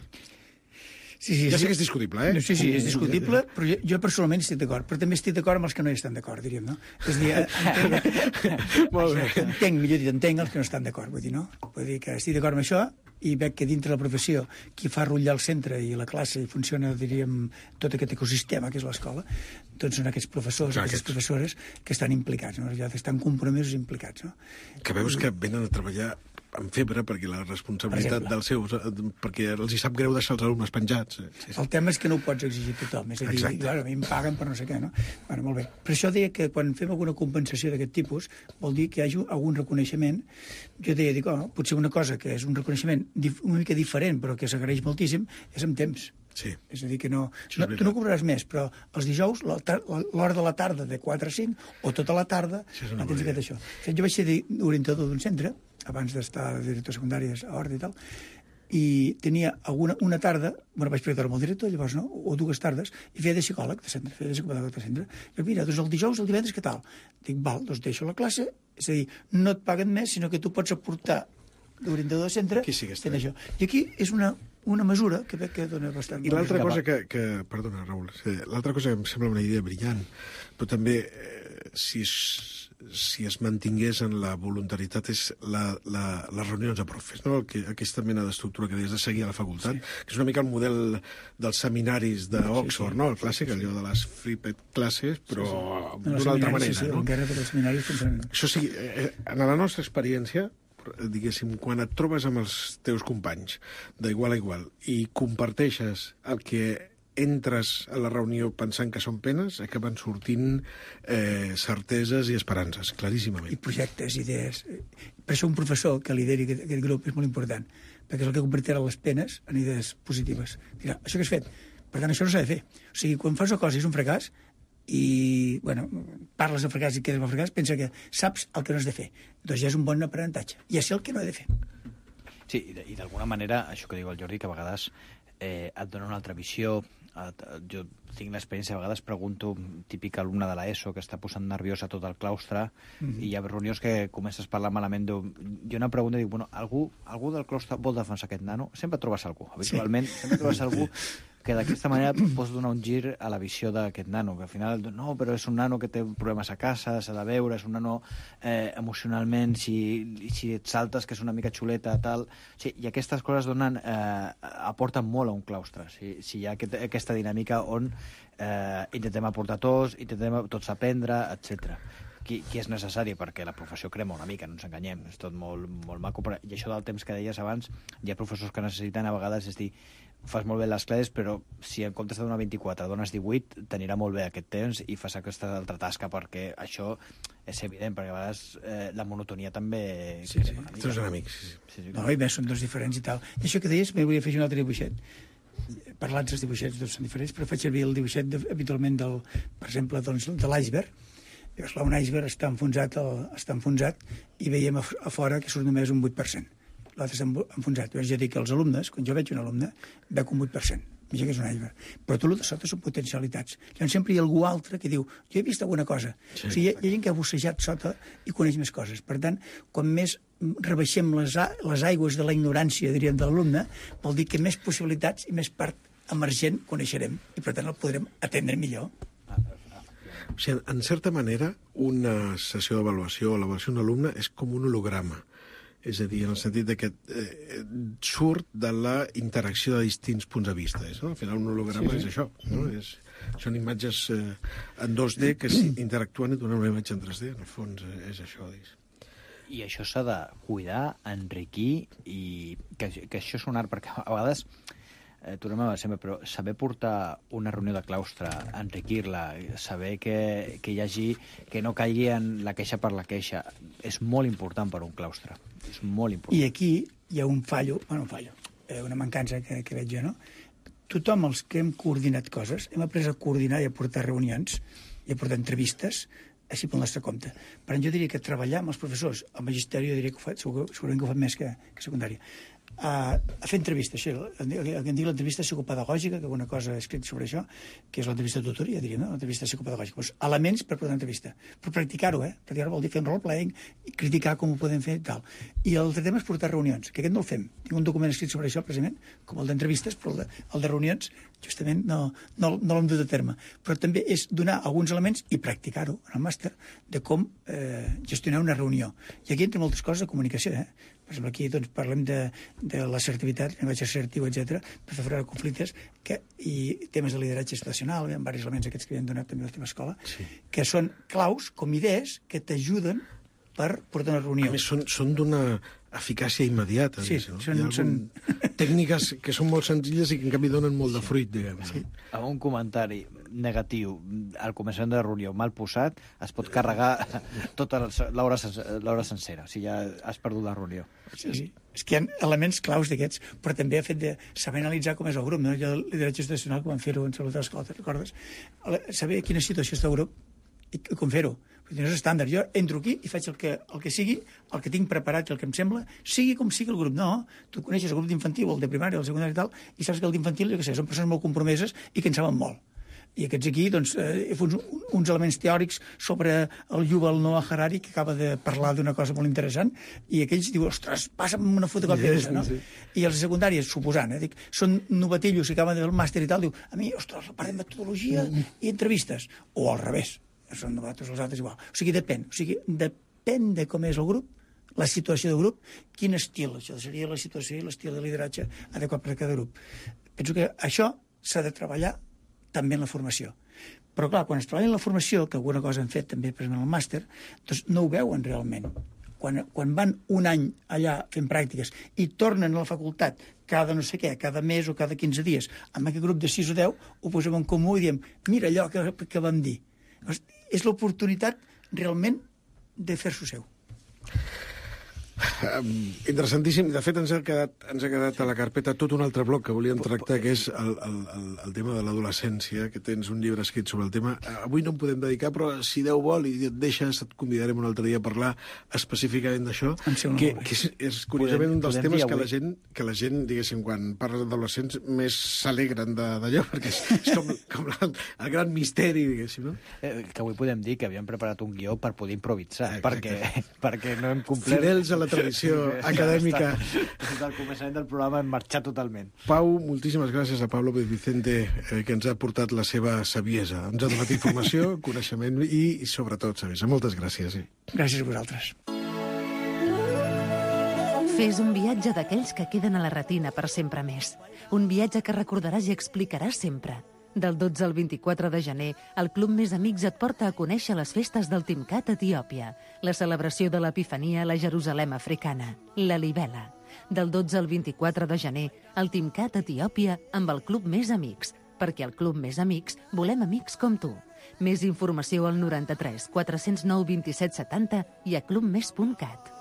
Sí, sí, ja sé sí. que és discutible, eh? No, sí, sí, és discutible, però jo, jo personalment estic d'acord, però també estic d'acord amb els que no hi estan d'acord, diríem, no? És a dir, entenc, Molt bé. entenc, millor dit, entenc els que no estan d'acord, vull dir, no? Vull dir que estic d'acord amb això i veig que dintre la professió qui fa rotllar el centre i la classe i funciona, diríem, tot aquest ecosistema que és l'escola, doncs són aquests professors, Clar, aquestes aquests. professores que estan implicats, no? Ja estan compromesos i implicats, no? Que veus que venen a treballar amb febre perquè la responsabilitat Per dels seus... perquè els hi sap greu deixar els alumnes penjats. Sí, sí. El tema és que no ho pots exigir a tothom. És a dir, Exacte. clar, a mi em paguen per no sé què, no? Bueno, molt bé. Per això deia que quan fem alguna compensació d'aquest tipus vol dir que hi hagi algun reconeixement. Jo deia, dic, oh, potser una cosa que és un reconeixement una mica diferent però que s'agraeix moltíssim és amb temps. Sí. És a dir, que no, no, tu no cobraràs més, però els dijous, l'hora de la tarda de quatre a cinc, o tota la tarda, no tens aquest això. Jo vaig ser orientador d'un centre, abans d'estar de director secundàries a Horta i tal, i tenia alguna, una tarda, bueno, vaig preguntar amb el director, llavors, no?, o dues tardes, i feia de psicòleg de centre, feia de psicòleg de centre. I mira, doncs el dijous, el divendres, què tal? Dic, val, doncs deixo la classe, és a dir, no et paguen més, sinó que tu pots aportar d'orientador de centre fent això. I aquí és una, una mesura que veig que dona bastant... I l'altra cosa que, que... Perdona, Raül. L'altra cosa que em sembla una idea brillant, però també, eh, si, es, si es mantingués en la voluntaritat, és la, la, les reunions de profes, no? Que, aquesta mena d'estructura que deies de seguir a la facultat, sí. Que és una mica el model dels seminaris d'Oxford, sí, sí. No? El clàssic, allò de les Fripped classes, però sí, sí. D'una altra manera. Sí, sí, no? encara de els seminaris funcionen. Això sí, eh, en la nostra experiència, diguéssim, quan et trobes amb els teus companys d'igual a igual i comparteixes el que entres a la reunió pensant que són penes, acaben sortint eh, certeses i esperances, claríssimament. I projectes, idees. Per això un professor que lideri aquest, aquest grup és molt important, perquè és el que convertirà les penes en idees positives. Dirà, això que has fet, per tant, això no s'ha de fer. O sigui, quan fas una cosa i és un fracàs, i, bueno, parles de fracàs i quedes amb el fracàs, pensa que saps el que no has de fer. Doncs ja és un bon aprenentatge. Ja sé el que no he de fer. Sí, i d'alguna manera, això que diu el Jordi, que a vegades eh, et dona una altra visió. Jo tinc l'experiència, a vegades pregunto, típic alumne de l'ESO que està posant nerviós a tot el claustre, mm-hmm. i hi ha reunions que comences a parlar malament. Jo una pregunta i dic, bueno, algú, algú del claustre vol defensar aquest nano? Sempre trobes algú, habitualment, sí. Sempre trobes algú que d'aquesta manera pots donar un gir a la visió d'aquest nano, que al final, no, però és un nano que té problemes a casa, s'ha de veure, és un nano eh, emocionalment, si, si et saltes, que és una mica xuleta, tal... Sí, i aquestes coses donen, eh, aporten molt a un claustre, si, si hi ha aquest, aquesta dinàmica on eh, intentem aportar tots, intentem tots aprendre, etcètera. Qui, qui és necessari, perquè la professió crema una mica, no ens enganyem, és tot molt, molt maco, però, i això del temps que deies abans, hi ha professors que necessiten a vegades, és dir, fas molt bé les classes, però si en comptes de donar vint-i-quatre dones divuit, t'anirà molt bé aquest temps i fas aquesta altra tasca, perquè això és evident, perquè a vegades eh, la monotonia també... Sí, sí, tots són amics. Sí, sí. Sí, sí. No, i més, són dos diferents i tal. I això que deies, m'hi volia fer un altre dibuixet. Parlant dels dibuixets, tots són diferents, però faig servir el dibuixet de, habitualment, del, per exemple, doncs, de l'iceberg. Llavors, clar, un iceberg està enfonsat, el, està enfonsat i veiem a, a fora que surt només un vuit per cent. L'altre està enfonsat. Llavors, jo dic que els alumnes, quan jo veig un alumne, veig un vuit per cent. Mira que és un iceberg. Però tot el de sota són potencialitats. Llavors, sempre hi ha algú altre que diu, jo he vist alguna cosa. Sí, o sigui, hi ha, hi ha gent que ha bussejat sota i coneix més coses. Per tant, quan més rebaixem les, les aigües de la ignorància, diríem, de l'alumne, vol dir que més possibilitats i més part emergent coneixerem i, per tant, el podrem atendre millor. O sigui, en certa manera, una sessió d'avaluació o l'avaluació d'un alumne és com un holograma. És a dir, en el sentit de que eh, surt de la interacció de distints punts de vista. És, no? Al final, un holograma sí, sí. és això. No? És, són imatges eh, en dos D que interactuen i donen una imatge en tres D. En el fons, eh, és això. És. I això s'ha de cuidar, enriquir, i que, que això és un art, perquè a vegades... Eh, tornem a sempre, però saber portar una reunió de claustre, enriquir-la, saber que, que hi hagi, que no caigui en la queixa per la queixa, és molt important per un claustre. És molt important. I aquí hi ha un fallo, bueno, un fallo, eh, una mancança que, que veig jo, no? Tothom, els que hem coordinat coses, hem après a coordinar i a portar reunions i a portar entrevistes, així pel nostre compte. Per tant, jo diria que treballar amb els professors, el magisteri, jo diria que ho fa, segurament que ho fa més que, que secundària, a, a fer entrevistes. Això, el, el que en dic l'entrevista psicopedagògica, que alguna cosa he escrit sobre això, que és l'entrevista de tutoria, diria, no? L'entrevista psicopedagògica. Pues, elements per portar una entrevista. Per practicar-ho, eh? Practicar-ho vol dir fer un role-playing, criticar com ho podem fer i tal. I l'altre tema és portar reunions, que aquest no el fem. Tinc un document escrit sobre això, precisament, com el d'entrevistes, però el de, el de reunions, justament, no, no, no l'hem dut a terme. Però també és donar alguns elements i practicar-ho en el màster de com eh, gestionar una reunió. I aquí entra moltes coses de comunicació, eh? Per exemple, aquí doncs, parlem de, de l'assertivitat, llenguatge assertiu, etcètera, per fer fora de conflictes, que, i temes de lideratge situacional, hi ha diversos elements aquests que havien donat també a l'última escola, sí. Que són claus, com idees, que t'ajuden per portar una reunió. A més, són, són d'una eficàcia immediata. Sí, no? són, Hi ha són... tècniques que són molt senzilles i que en canvi donen molt de fruit, diguem. Sí. Amb un comentari negatiu al començament de la reunió mal posat, es pot carregar tota l'hora sencera, si ja has perdut la reunió. Sí, sí. És que hi ha elements claus d'aquests, però també ha fet de saber analitzar com és el grup, no? Jo el lideratge institucional, com vam fer-ho en salut de l'escola, te'n recordes? Saber quina situació està el grup i com fer-ho. No és estàndard. Jo entro aquí i faig el que, el que sigui, el que tinc preparat i el que em sembla, sigui com sigui el grup. No, tu coneixes el grup d'infantil, el de primària, el secundari i tal, i saps que el d'infantil, jo què sé, són persones molt compromeses i que en saben molt. I aquests aquí, doncs, eh, uns, uns elements teòrics sobre el Yuval Noah Harari, que acaba de parlar d'una cosa molt interessant, i aquells diuen, ostres, passa'm una fotocòpia d'aquesta, no? Sí. I els secundaris, suposant, eh, dic, són novatillos que acaben de fer el màster i tal, diu, a mi, ostres, parlem de metodologia i entrevistes. O al revés. Són novatos, els altres igual. O sigui, depèn. O sigui, depèn de com és el grup, la situació del grup, quin estil. Això seria la situació i l'estil de lideratge adequat per a cada grup. Penso que això s'ha de treballar també en la formació. Però, clar, quan es treballa en la formació, que alguna cosa han fet també per exemple, al màster, doncs no ho veuen realment. Quan, quan van un any allà fent pràctiques i tornen a la facultat cada no sé què, cada mes o cada quinze dies, amb aquest grup de sis o deu, ho posem en comú i diem, mira allò que, que vam dir. És l'oportunitat realment de fer-s'ho seu. um, interessantíssim. De fet, ens ha, quedat, ens ha quedat a la carpeta tot un altre bloc que volíem tractar, que és el, el, el, el tema de l'adolescència, que tens un llibre escrit sobre el tema. Avui no en podem dedicar, però si Déu vol i et deixes, et convidarem un altre dia a parlar específicament d'això, que, que és, és curiosament un dels podem temes dir que la avui. gent, que la gent, diguéssim, quan parla d'adolescents, més s'alegren de- d'allò, perquè és, és com, com la, el gran misteri, diguéssim, no? Eh, que avui podem dir que havíem preparat un guió per poder improvisar, Exacte. perquè, perquè no hem complert... Fidels a la tradició acadèmica. Des del començament del programa hem marxat totalment. Pau, moltíssimes gràcies a Pau López Vicente, eh, que ens ha portat la seva saviesa. Ens ha donat informació, coneixement i, i sobretot, saviesa. Moltes gràcies. Sí. Gràcies a vosaltres. Fes un viatge d'aquells que queden a la retina per sempre més. Un viatge que recordaràs i explicaràs sempre. Del dotze al vint-i-quatre de gener, el Club Més Amics et porta a conèixer les festes del Timcat a Etiòpia, la celebració de l'Epifania a la Jerusalem africana, la Libela. Del dotze al vint-i-quatre de gener, el Timcat a Etiòpia amb el Club Més Amics, perquè al Club Més Amics volem amics com tu. Més informació al noranta-tres quatre-cents nou vint-i-set setanta i a clubmes punt cat.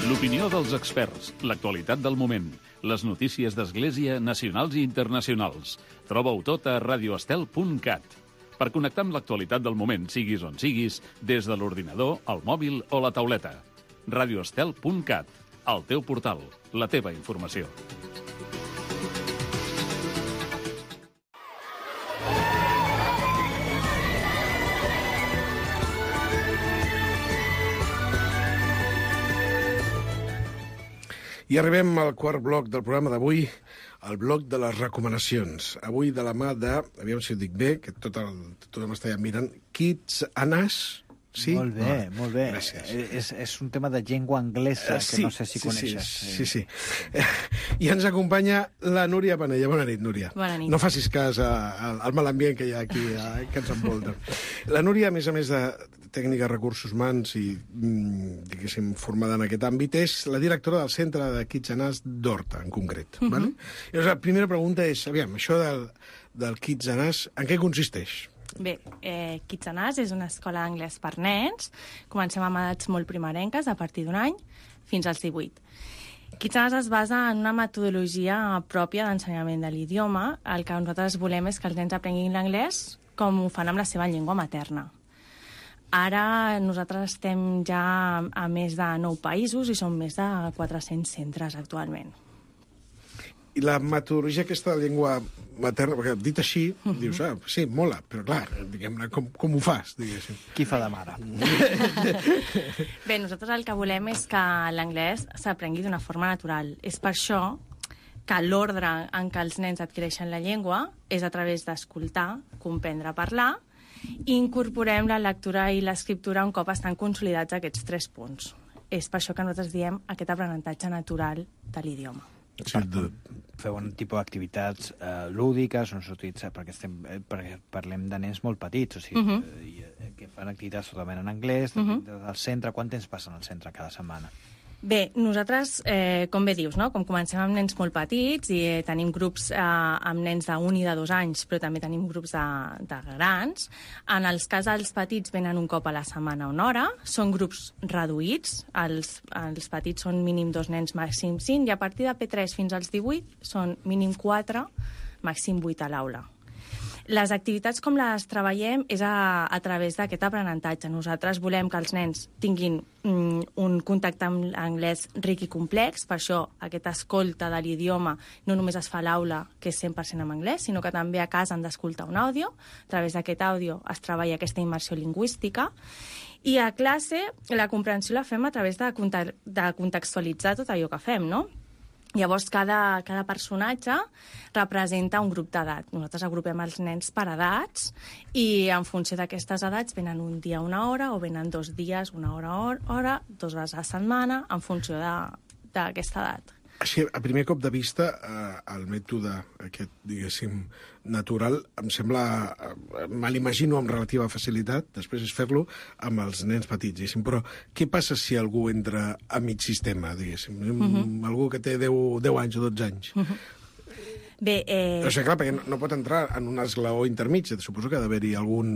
L'opinió dels experts, l'actualitat del moment, les notícies d'Església nacionals i internacionals. Troba-ho tot a radioestel punt cat. Per connectar amb l'actualitat del moment, siguis on siguis, des de l'ordinador, el mòbil o la tauleta. radioestel punt cat, el teu portal, la teva informació. I arribem al quart bloc del programa d'avui, el bloc de les recomanacions. Avui de la mà de, aviam si ho dic bé, que tot el, tothom m'està mirant, Kids Anas. Sí? Molt bé, Ah, molt bé. Gràcies. Eh, És, és un tema de llengua anglesa, Eh, que no sé si sí, coneixes. Sí, sí, sí. Eh, I ens acompanya la Núria Panella. Bona nit, Núria. Bona nit. No facis cas a, a, al mal ambient que hi ha aquí, a, que ens envolta. La Núria, a més a més de tècnica de recursos humans i, mm, diguéssim, formada en aquest àmbit, és la directora del Centre de Kids Anas d'Horta, en concret. Uh -huh. Vale? Llavors, la primera pregunta és, aviam, això del, del Kids Anas, en què consisteix? Bé, eh, Kids Anas és una escola d'anglès per nens. Comencem amb edats molt primerenques, a partir d'un any, fins als divuit. Kids Anas es basa en una metodologia pròpia d'ensenyament de l'idioma. El que nosaltres volem és que els nens aprenguin l'anglès com ho fan amb la seva llengua materna. Ara nosaltres estem ja a més de nou països i som més de quatre-cents centres actualment. I la metodologia aquesta de llengua materna, perquè dit així, uh -huh. dius, ah, sí, mola, però clar, diguem-ne, com, com ho fas, diguéssim? Qui fa de mare? Bé, nosaltres el que volem és que l'anglès s'aprengui d'una forma natural. És per això que l'ordre en què els nens adquireixen la llengua és a través d'escoltar, comprendre, parlar, i incorporem la lectura i l'escriptura un cop estan consolidats aquests tres punts. És per això que nosaltres diem aquest aprenentatge natural de l'idioma. Sí, de... Feu un tipus d'activitats eh, lúdiques, on sortits, eh, perquè, estem, eh, perquè parlem de nens molt petits, o sigui, uh -huh. eh, que fan activitats totalment en anglès, uh -huh. del centre. Quant temps passen al centre cada setmana? Bé, nosaltres, eh, com bé dius, no? Com comencem amb nens molt petits i eh, tenim grups eh, amb nens d'un i de dos anys, però també tenim grups de, de grans. En els cas dels petits venen un cop a la setmana una hora, són grups reduïts, els, els petits són mínim dos nens, màxim cinc, i a partir de P tres fins als divuit són mínim quatre, màxim vuit a l'aula. Les activitats com les treballem és a, a través d'aquest aprenentatge. Nosaltres volem que els nens tinguin mm, un contacte amb l'anglès ric i complex, per això aquesta escolta de l'idioma no només es fa a l'aula, que és cent per cent en anglès, sinó que també a casa han d'escoltar un àudio. A través d'aquest àudio es treballa aquesta immersió lingüística. I a classe la comprensió la fem a través de, de contextualitzar tot allò que fem, no? Llavors, cada, cada personatge representa un grup d'edat. Nosaltres agrupem els nens per edats i en funció d'aquestes edats venen un dia una hora o venen dos dies una hora hora, dos vegades a la setmana, en funció d'aquesta edat. Així, a primer cop de vista, eh, el mètode aquest, diguéssim, natural, em sembla, eh, me l'imagino amb relativa facilitat, després és fer-lo amb els nens petits, diguéssim. Però què passa si algú entra a mig sistema, diguéssim? Uh-huh. Algú que té deu, deu anys o dotze anys? Uh-huh. Bé, eh... O sigui, clar, perquè no, no pot entrar en un esglaó intermig. Suposo que ha d'haver-hi algun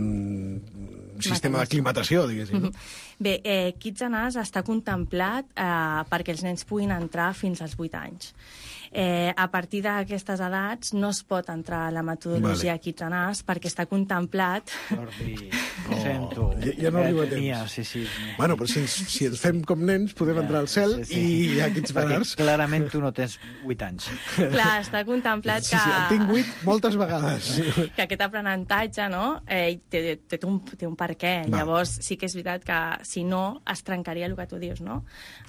sistema d'aclimatació, diguéssim. No? Bé, eh, Kids and Us està contemplat eh, perquè els nens puguin entrar fins als vuit anys. Eh, a partir d'aquestes edats no es pot entrar a la metodologia vale. Kids and Us perquè està contemplat... Jordi, ho sento. Ja, ja no arriba a temps. Mia, sí, sí. Bueno, però si ens, si ens fem com nens podem ja, entrar al cel sí, sí. i hi ha Kids and Us. Clarament tu no tens vuit anys. Clar, està contemplat sí, que... Sí, en tinc vuit moltes vegades. Que aquest aprenentatge, no?, eh, té, té, un, té un per què. Va. Llavors, sí que és veritat que, si no, es trencaria el que tu dius, no?,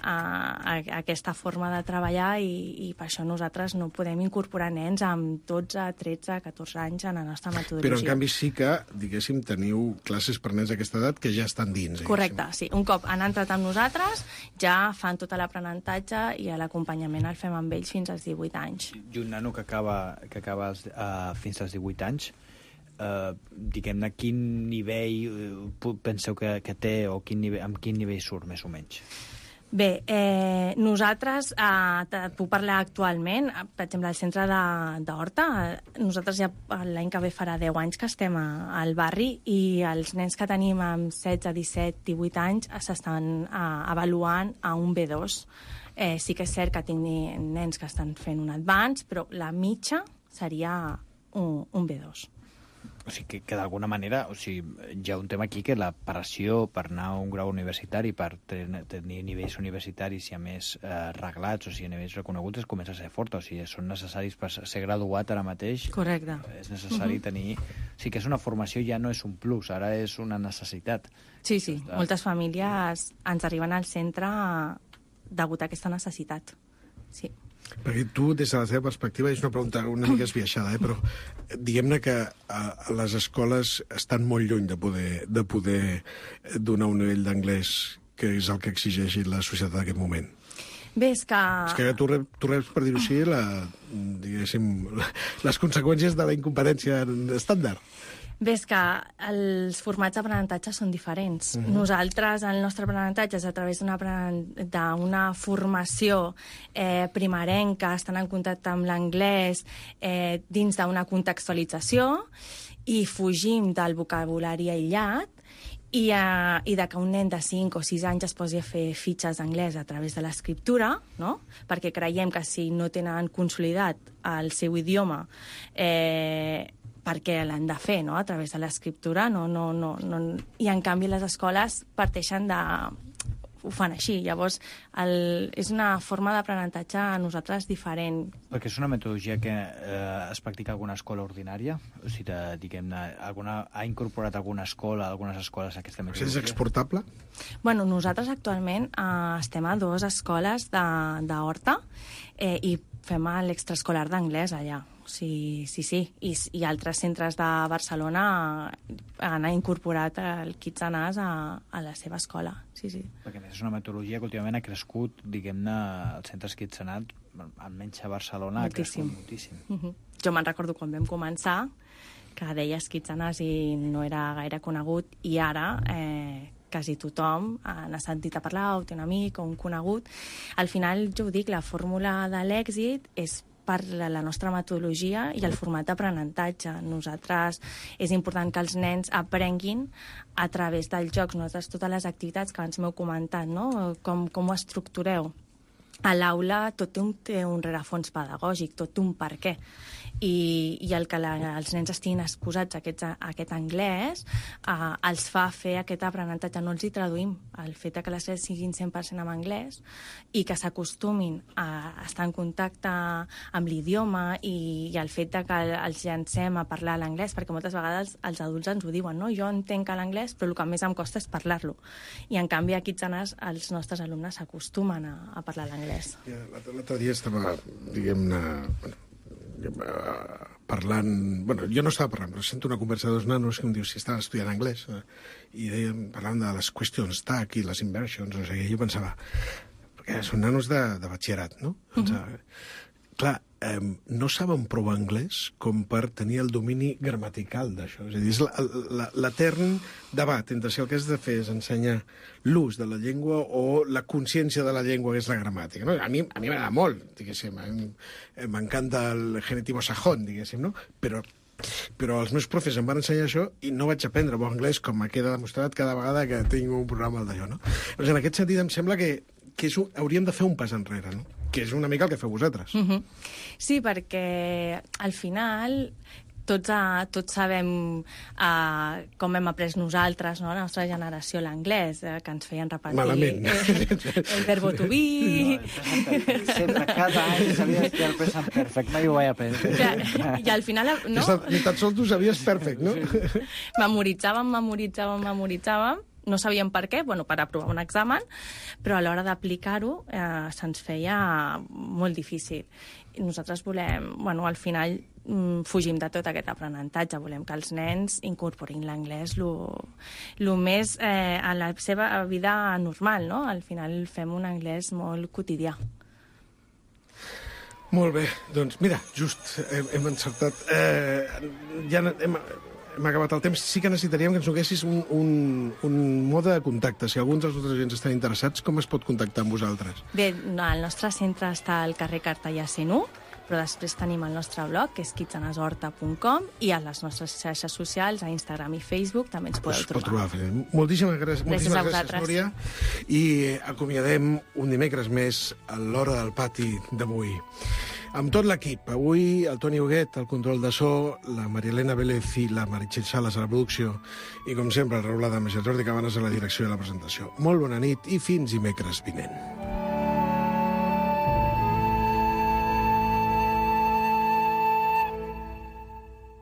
a, a, a aquesta forma de treballar i, i per això nosaltres no podem incorporar nens amb dotze, tretze, catorze anys en la nostra metodologia. Però, en canvi, sí que, diguéssim, teniu classes per nens d'aquesta edat que ja estan dins. Correcte, sí. Un cop han entrat amb nosaltres, ja fan tot l'aprenentatge i l'acompanyament el fem amb ells fins als divuit anys. I un nano que acaba, que acaba els, uh, fins als divuit anys, uh, diguem-ne, quin nivell uh, penseu que, que té o quin nivell, amb quin nivell surt, més o menys? Bé, eh, nosaltres, eh, puc parlar actualment, per exemple, al centre d'Horta, nosaltres ja l'any que ve farà deu anys que estem a, al barri i els nens que tenim amb setze, disset, divuit anys s'estan eh, avaluant a un B dos. Eh, sí que és cert que tinguin nens que estan fent un advance, però la mitja seria un, un B dos. O sigui, que, que d'alguna manera, o sigui, hi ha un tema aquí que la pressió per anar a un grau universitari, per ten, tenir nivells universitaris i a més eh, reglats, o sigui, nivells reconeguts, es comença a ser forta. O sigui, són necessaris per ser graduat ara mateix. Correcte. És necessari uh-huh. tenir... O sigui, que és una formació, ja no és un plus, ara és una necessitat. Sí, sí. De... Moltes famílies ens arriben al centre degut a aquesta necessitat. Sí. Perquè tu, des de la teva perspectiva, és una pregunta una mica esbiaixada, eh? Però diguem-ne que a, a les escoles estan molt lluny de poder, de poder donar un nivell d'anglès que és el que exigeix la societat en aquest moment. Bé, és que... És que tu reps, tu reps per dir-ho així, la, diguéssim, les conseqüències de la incompetència estàndard. Bé, és que els formats d'aprenentatge són diferents. Uh-huh. Nosaltres, el nostre aprenentatge és a través d'una formació eh, primerenca, estan en contacte amb l'anglès eh, dins d'una contextualització i fugim del vocabulari aïllat i, eh, i de que un nen de cinc o sis anys es posi a fer fitxes d'anglès a través de l'escriptura, no? Perquè creiem que si no tenen consolidat el seu idioma eh, perquè l'han de fer, no?, a través de l'escriptura, no, no, no, no... i en canvi les escoles parteixen de... ho fan així. Llavors, el... és una forma d'aprenentatge a nosaltres diferent. Perquè és una metodologia que eh, es practica a alguna escola ordinària? O sigui, diguem-ne, alguna... ha incorporat alguna escola, algunes escoles aquesta metodologia? És exportable? Bueno, nosaltres actualment eh, estem a dues escoles d'Horta eh, i fem l'extraescolar d'anglès allà. Sí, sí, sí. I, i altres centres de Barcelona han incorporat el Kids and Us a, a la seva escola. Sí, sí. Perquè és una metodologia que últimament ha crescut, diguem-ne, els centres Kids and Us, almenys a Barcelona, moltíssim. Ha crescut moltíssim. Uh-huh. Jo me'n recordo quan vam començar, que deies Kids and Us i no era gaire conegut, i ara... Eh, quasi tothom n'ha sentit a parlar, o té un amic o un conegut. Al final, jo ho dic, la fórmula de l'èxit és per la nostra metodologia i el format d'aprenentatge. Nosaltres és important que els nens aprenguin a través dels jocs. Nosaltres totes les activitats que abans m'heu comentat, no? Com, com ho estructureu? A l'aula tot té un, té un rerefons pedagògic, tot té un per què. I, i el que la, els nens estiguin exposats a aquest, a aquest anglès eh, els fa fer aquest aprenentatge. No els hi traduïm. El fet que les classes siguin cent per cent en anglès i que s'acostumin a estar en contacte amb l'idioma i, i el fet que els llancem a parlar l'anglès, perquè moltes vegades els adults ens ho diuen, no? Jo entenc l'anglès, però el que més em costa és parlar-lo. I en canvi aquí els nostres alumnes s'acostumen a, a parlar l'anglès. Ja, l'altre dia estava, diguem-ne... Bueno, parlant... Bueno, jo no estava parlant, però sento una conversa de dos nanos que em diu si estaven estudiant anglès eh, i deien, parlant de les questions tag i les inversions, o sigui, jo pensava perquè són nanos de, de batxillerat, no? Pensava, uh-huh. Clar, eh, no saben prou anglès com per tenir el domini gramatical d'això. És a dir, és la- la- l'etern debat entre si el que has de fer és ensenyar l'ús de la llengua o la consciència de la llengua, que és la gramàtica. No? A mi a mi m'agrada molt, diguéssim. a mi M'encanta el genitivo sajón, diguéssim, no? Però però els meus profes em van ensenyar això i no vaig aprendre bon anglès, com me queda demostrat cada vegada que tinc un programa d'allò, no? Doncs en aquest sentit em sembla que, que és un, hauríem de fer un pas enrere, no? Que és una mica el que feu vosaltres. Mm -hmm. Sí, perquè al final tots, a, tots sabem uh, com hem après nosaltres, no? La nostra generació, l'anglès, eh, que ens feien repetir Malament. eh, el verbo to be. No, sempre, cada any sabia que el present perfect, mai ho vaig aprendre. Clar, I al final, no? Ni tan sols tu sabies perfect, no? Memoritzàvem, memoritzàvem, memoritzàvem, no sabíem per què, bueno, per aprovar un examen, però a l'hora d'aplicar-ho eh, se'ns feia molt difícil. I nosaltres volem, bueno, al final mm, fugim de tot aquest aprenentatge, volem que els nens incorporin l'anglès lo, lo més eh, a la seva vida normal, no? Al final fem un anglès molt quotidià. Molt bé, doncs mira, just hem, hem encertat. Eh, ja hem, hem acabat el temps. Sí que necessitaríem que ens donessis un, un, un mode de contacte. Si alguns dels nostres oients estan interessats, com es pot contactar amb vosaltres? Bé, no, el nostre centre està al carrer Cartellà cent u, però després tenim el nostre blog, que és kitsenesorta punt com, i a les nostres xarxes socials, a Instagram i Facebook, també ens podeu Es pot trobar. trobar. Moltíssimes gràcies, Gràcies moltíssimes a gràcies, vosaltres. Núria. I acomiadem un dimecres més a l'Hora del Pati d'avui. Amb tot l'equip, avui el Toni Huguet, al control de so, la Marielena Vélez i la Meritxell Sales a la producció, i com sempre el Raül Adames i el Jordi Cabanes a la direcció de la presentació. Molt bona nit i fins dimecres vinent.